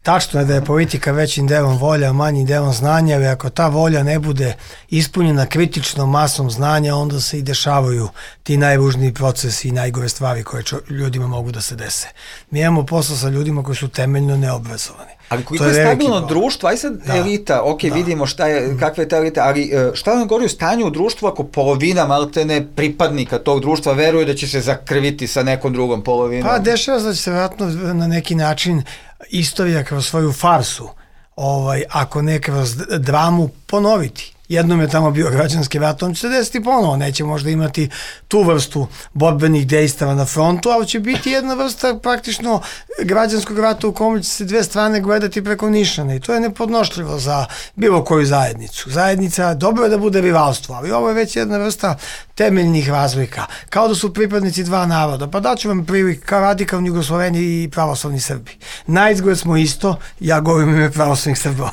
tačno je da je politika većim delom volja, manjim delom znanja, ali ako ta volja ne bude ispunjena kritičnom masom znanja, onda se i dešavaju ti najružniji procesi i najgore stvari koje čo, ljudima mogu da se dese. Mi imamo posla sa ljudima koji su temeljno neobrazovani. Ali koliko je, je stabilno društvo, aj sad da, elita, ok, da. vidimo šta je, kakva je ta elita, ali šta nam govori o stanju u društvu ako polovina maltene pripadnika tog društva veruje da će se zakrviti sa nekom drugom polovinom? Pa dešava se da će se vjerojatno na neki način istorija kroz svoju farsu, ovaj, ako ne kroz dramu, ponoviti. Jednom je tamo bio građanski rat, on će se desiti ponovo, neće možda imati tu vrstu borbenih dejstava na frontu, ali će biti jedna vrsta praktično građanskog rata u kome će se dve strane gledati preko nišana i to je nepodnošljivo za bilo koju zajednicu. Zajednica, dobro je da bude rivalstvo, ali ovo je već jedna vrsta temeljnih razlika, kao da su pripadnici dva naroda. Pa daću vam prilik, kao radikalni Jugosloveni i pravoslavni Srbi. Naizgled smo isto, ja govorim ime pravoslavnih Srba,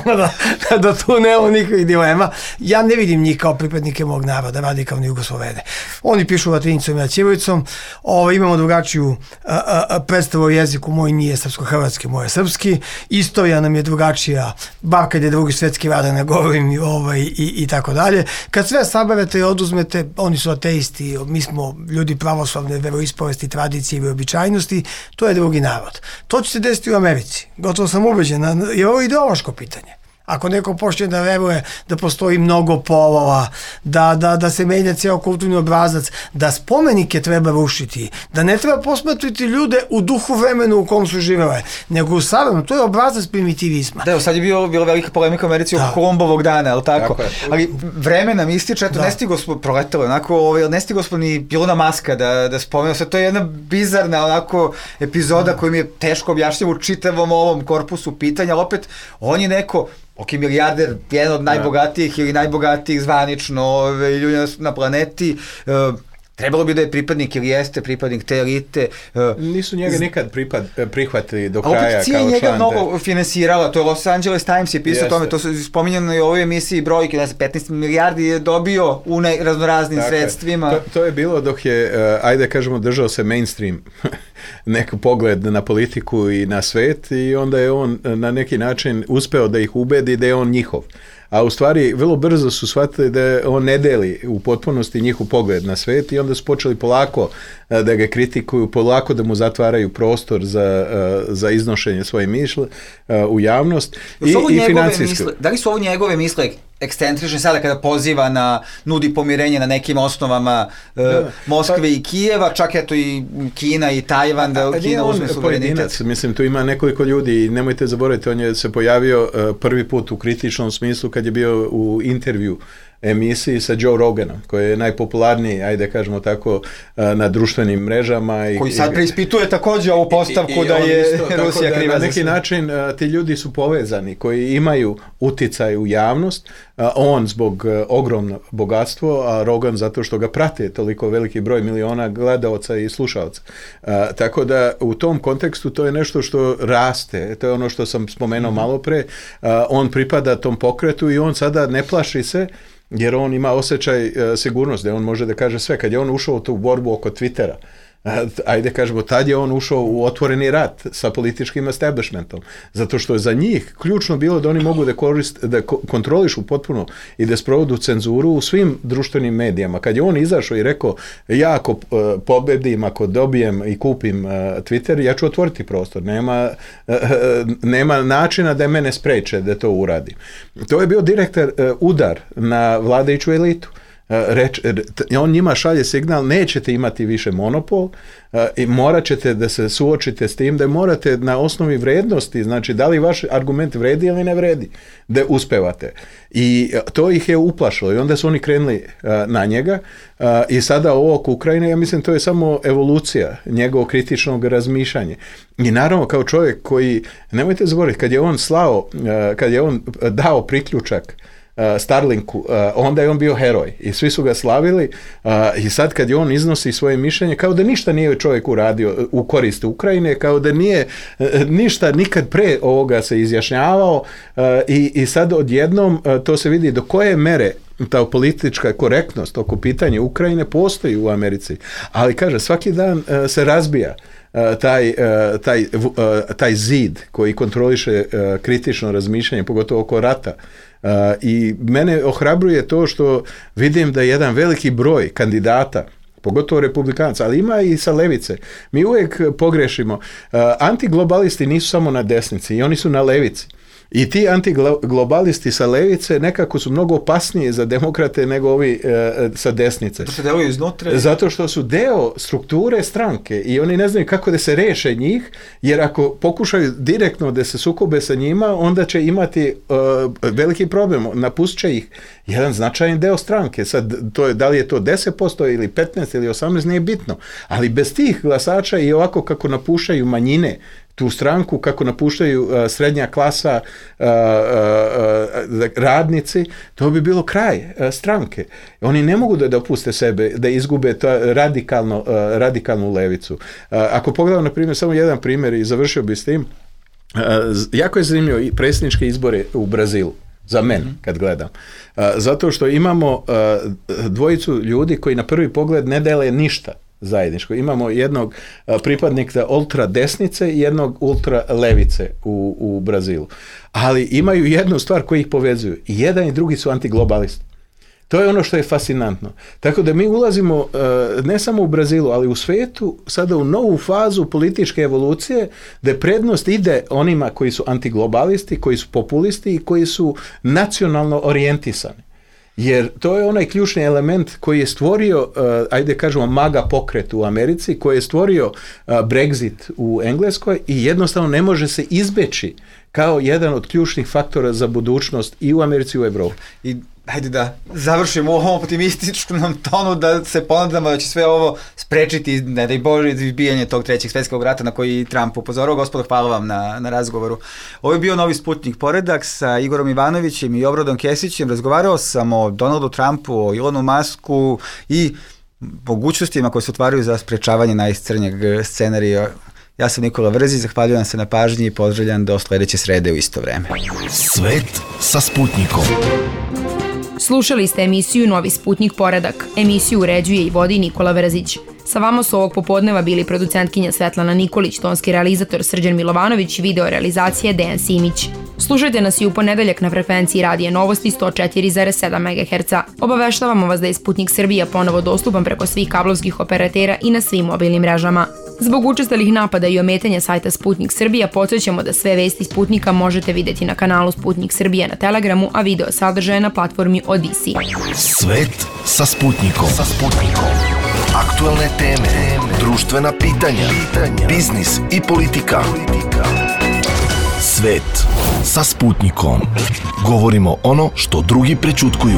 da, da tu nema nikakvih dilema. Ja ne vidim njih kao pripadnike mog naroda, radikalni Jugoslovene. Oni pišu latinicom i ja ćirilicom, ovo, imamo drugačiju a, a, predstavu o jeziku, moj nije srpsko-hrvatski, moj je srpski, istorija nam je drugačija, bar kad je drugi svetski rat, ne govorim ovaj, i, i tako dalje. Kad sve saberete i oduzmete, oni su ateisti, mi smo ljudi pravoslavne veroispovesti, tradicije i običajnosti, to je drugi narod. To će se desiti u Americi, gotovo sam ubeđen, jer ovo je ideološko pitanje. Ako neko počne da veruje da postoji mnogo polova, da, da, da se menja cijel kulturni obrazac, da spomenike treba rušiti, da ne treba posmatrati ljude u duhu vremenu u kom su živele, nego u savremenom, to je obrazac primitivizma. Da, evo sad je bilo, bilo velika polemika u Americi oko Kolumbovog dana, je li tako? tako Ali vreme nam ističe, eto, da. ne stigo smo, proletelo, onako, ovaj, ne stigo smo ni Ilona Maska da, da spomenuo, sad to je jedna bizarna onako epizoda koju mi je teško objašnjava u čitavom ovom korpusu pitanja, ali opet on je neko ok, milijarder, jedan od najbogatijih ili najbogatijih zvanično ljudi na planeti, uh, trebalo bi da je pripadnik ili jeste pripadnik te elite. Uh, Nisu njega nikad pripad, prihvatili do kraja kao član. A opet cija njega mnogo finansirala, to je Los Angeles Times je pisao o tome, to su spominjano i u ovoj emisiji brojke, ne znam, petnaest milijardi je dobio u ne, raznoraznim dakle, sredstvima. To, to je bilo dok je, uh, ajde kažemo, držao se mainstream neki pogled na politiku i na svet i onda je on na neki način uspeo da ih ubedi da je on njihov. A u stvari vrlo brzo su shvatili da on ne deli u potpunosti njihov pogled na svet i onda su počeli polako da ga kritikuju, polako da mu zatvaraju prostor za, za iznošenje svoje misle u javnost i, i financijsko. Da li su ovo njegove misle ekscentrične sada kada poziva na, nudi pomirenje na nekim osnovama uh, da, Moskve pa, i Kijeva, čak eto i Kina i Tajvan, da Kina uzme suverenitet. Mislim, tu ima nekoliko ljudi i nemojte zaboraviti, on je se pojavio uh, prvi put u kritičnom smislu kad je bio u intervju emisiji sa Joe Roganom, koji je najpopularniji, ajde kažemo tako, na društvenim mrežama. I, koji sad preispituje također ovu postavku i, i da je isto, Rusija kriva. Na neki način ti ljudi su povezani, koji imaju uticaj u javnost, on zbog ogromno bogatstvo, a Rogan zato što ga prate toliko veliki broj miliona gledaoca i slušaoca. Tako da u tom kontekstu to je nešto što raste, to je ono što sam spomenuo mm-hmm. malo pre, on pripada tom pokretu i on sada ne plaši se jer on ima osjećaj uh, sigurnosti, da on može da kaže sve. Kad je on ušao u tu borbu oko Twittera, uh, ajde kažemo, tad je on ušao u otvoreni rat sa političkim establishmentom, zato što je za njih ključno bilo da oni mogu da, korist, da ko- kontrolišu potpuno i da sprovodu cenzuru u svim društvenim medijama. Kad je on izašao i rekao, ja ako uh, pobedim, ako dobijem i kupim uh, Twitter, ja ću otvoriti prostor. Nema, uh, nema načina da mene spreče da to uradim. To je bio direktan uh, udar na vladajuću elitu. Reč, on njima šalje signal, nećete imati više monopol uh, i morat ćete da se suočite s tim, da morate na osnovi vrednosti, znači da li vaš argument vredi ili ne vredi, da uspevate. I to ih je uplašilo i onda su oni krenuli uh, na njega uh, i sada ovo oko Ukrajine, ja mislim to je samo evolucija njegovog kritičnog razmišljanja. I naravno kao čovjek koji, nemojte zaboraviti, kad je on slao, uh, kad je on dao priključak Uh, Starlinku, uh, onda je on bio heroj i svi su ga slavili uh, i sad kad je on iznosi svoje mišljenje kao da ništa nije čovjek uradio u korist Ukrajine, kao da nije uh, ništa nikad pre ovoga se izjašnjavao uh, i, i sad odjednom uh, to se vidi do koje mere ta politička korektnost oko pitanja Ukrajine postoji u Americi, ali kaže svaki dan uh, se razbija taj, taj, taj zid koji kontroliše kritično razmišljanje, pogotovo oko rata. I mene ohrabruje to što vidim da jedan veliki broj kandidata, pogotovo republikanaca, ali ima i sa levice. Mi uvijek pogrešimo. Antiglobalisti nisu samo na desnici, i oni su na levici. I ti antiglobalisti sa levice nekako su mnogo opasniji za demokrate nego ovi e, sa desnice. To se deluju iznutra. Zato što su deo strukture stranke i oni ne znaju kako da se reše njih, jer ako pokušaju direktno da se sukobe sa njima, onda će imati e, veliki problem. Napustit će ih jedan značajan deo stranke. Sad, to je, da li je to deset posto ili petnaest ili osamnaest, nije bitno. Ali bez tih glasača i ovako kako napuštaju manjine tu stranku, kako napuštaju uh, srednja klasa, uh, uh, radnici, to bi bilo kraj uh, stranke. Oni ne mogu da dopuste sebe da izgube to radikalno, uh, radikalnu levicu. Uh, ako pogledam, na primjer, samo jedan primjer i završio bi s tim, uh, jako je zanimljivo i predsjedničke izbore u Brazilu. Za mene, kad gledam. Uh, zato što imamo uh, dvojicu ljudi koji na prvi pogled ne dele ništa zajedničko. Imamo jednog uh, pripadnika ultra desnice i jednog ultra levice u, u Brazilu. Ali imaju jednu stvar koju ih povezuju. I jedan i drugi su antiglobalisti. To je ono što je fascinantno. Tako da mi ulazimo uh, ne samo u Brazilu, ali u svetu sada u novu fazu političke evolucije gdje prednost ide onima koji su antiglobalisti, koji su populisti i koji su nacionalno orijentisani. Jer to je onaj ključni element koji je stvorio, uh, ajde kažemo, MAGA pokret u Americi, koji je stvorio uh, Brexit u Engleskoj i jednostavno ne može se izbeći kao jedan od ključnih faktora za budućnost i u Americi i u Evropi. I hajde da završimo u ovom optimističnom tonu, da se ponadamo da će sve ovo sprečiti, ne daj Bože, izbijanje tog trećeg svjetskog rata na koji Trump upozorao. Gospodo, hvala vam na, na razgovoru. Ovo je bio Novi Sputnik poredak sa Igorom Ivanovićem i Obradom Kesićem. Razgovarao sam o Donaldu Trumpu, o Elonu Musku i mogućnostima koje se otvaraju za sprečavanje najcrnjeg scenarija. Ja sam Nikola Vrzić, zahvaljujem se na pažnji i pozdravljam do sledeće srede u isto vreme. Svet sa Sputnikom. Slušali ste emisiju Novi Sputnik poredak. Emisiju uređuje i vodi Nikola Vrzić. Sa vama su ovog popodneva bili producentkinja Svetlana Nikolić, tonski realizator Srđan Milovanović, video realizacije Dejan Simić. Slušajte nas i u ponedeljak na frekvenciji Radija Novosti sto četiri zarez sedam megaherca. Obaveštavamo vas da je Sputnik Srbija ponovo dostupan preko svih kablovskih operatera i na svim mobilnim mrežama. Zbog učestalih napada i ometanja sajta Sputnik Srbija, podsjećamo da sve vesti Sputnika možete vidjeti na kanalu Sputnik Srbija na Telegramu, a video sadržaje na platformi Odisi. Svet sa Sputnikom. Sa Sputnikom. Aktualne teme, društvena pitanja, biznis i politika. Svet sa Sputnikom. Govorimo ono što drugi prećutkuju.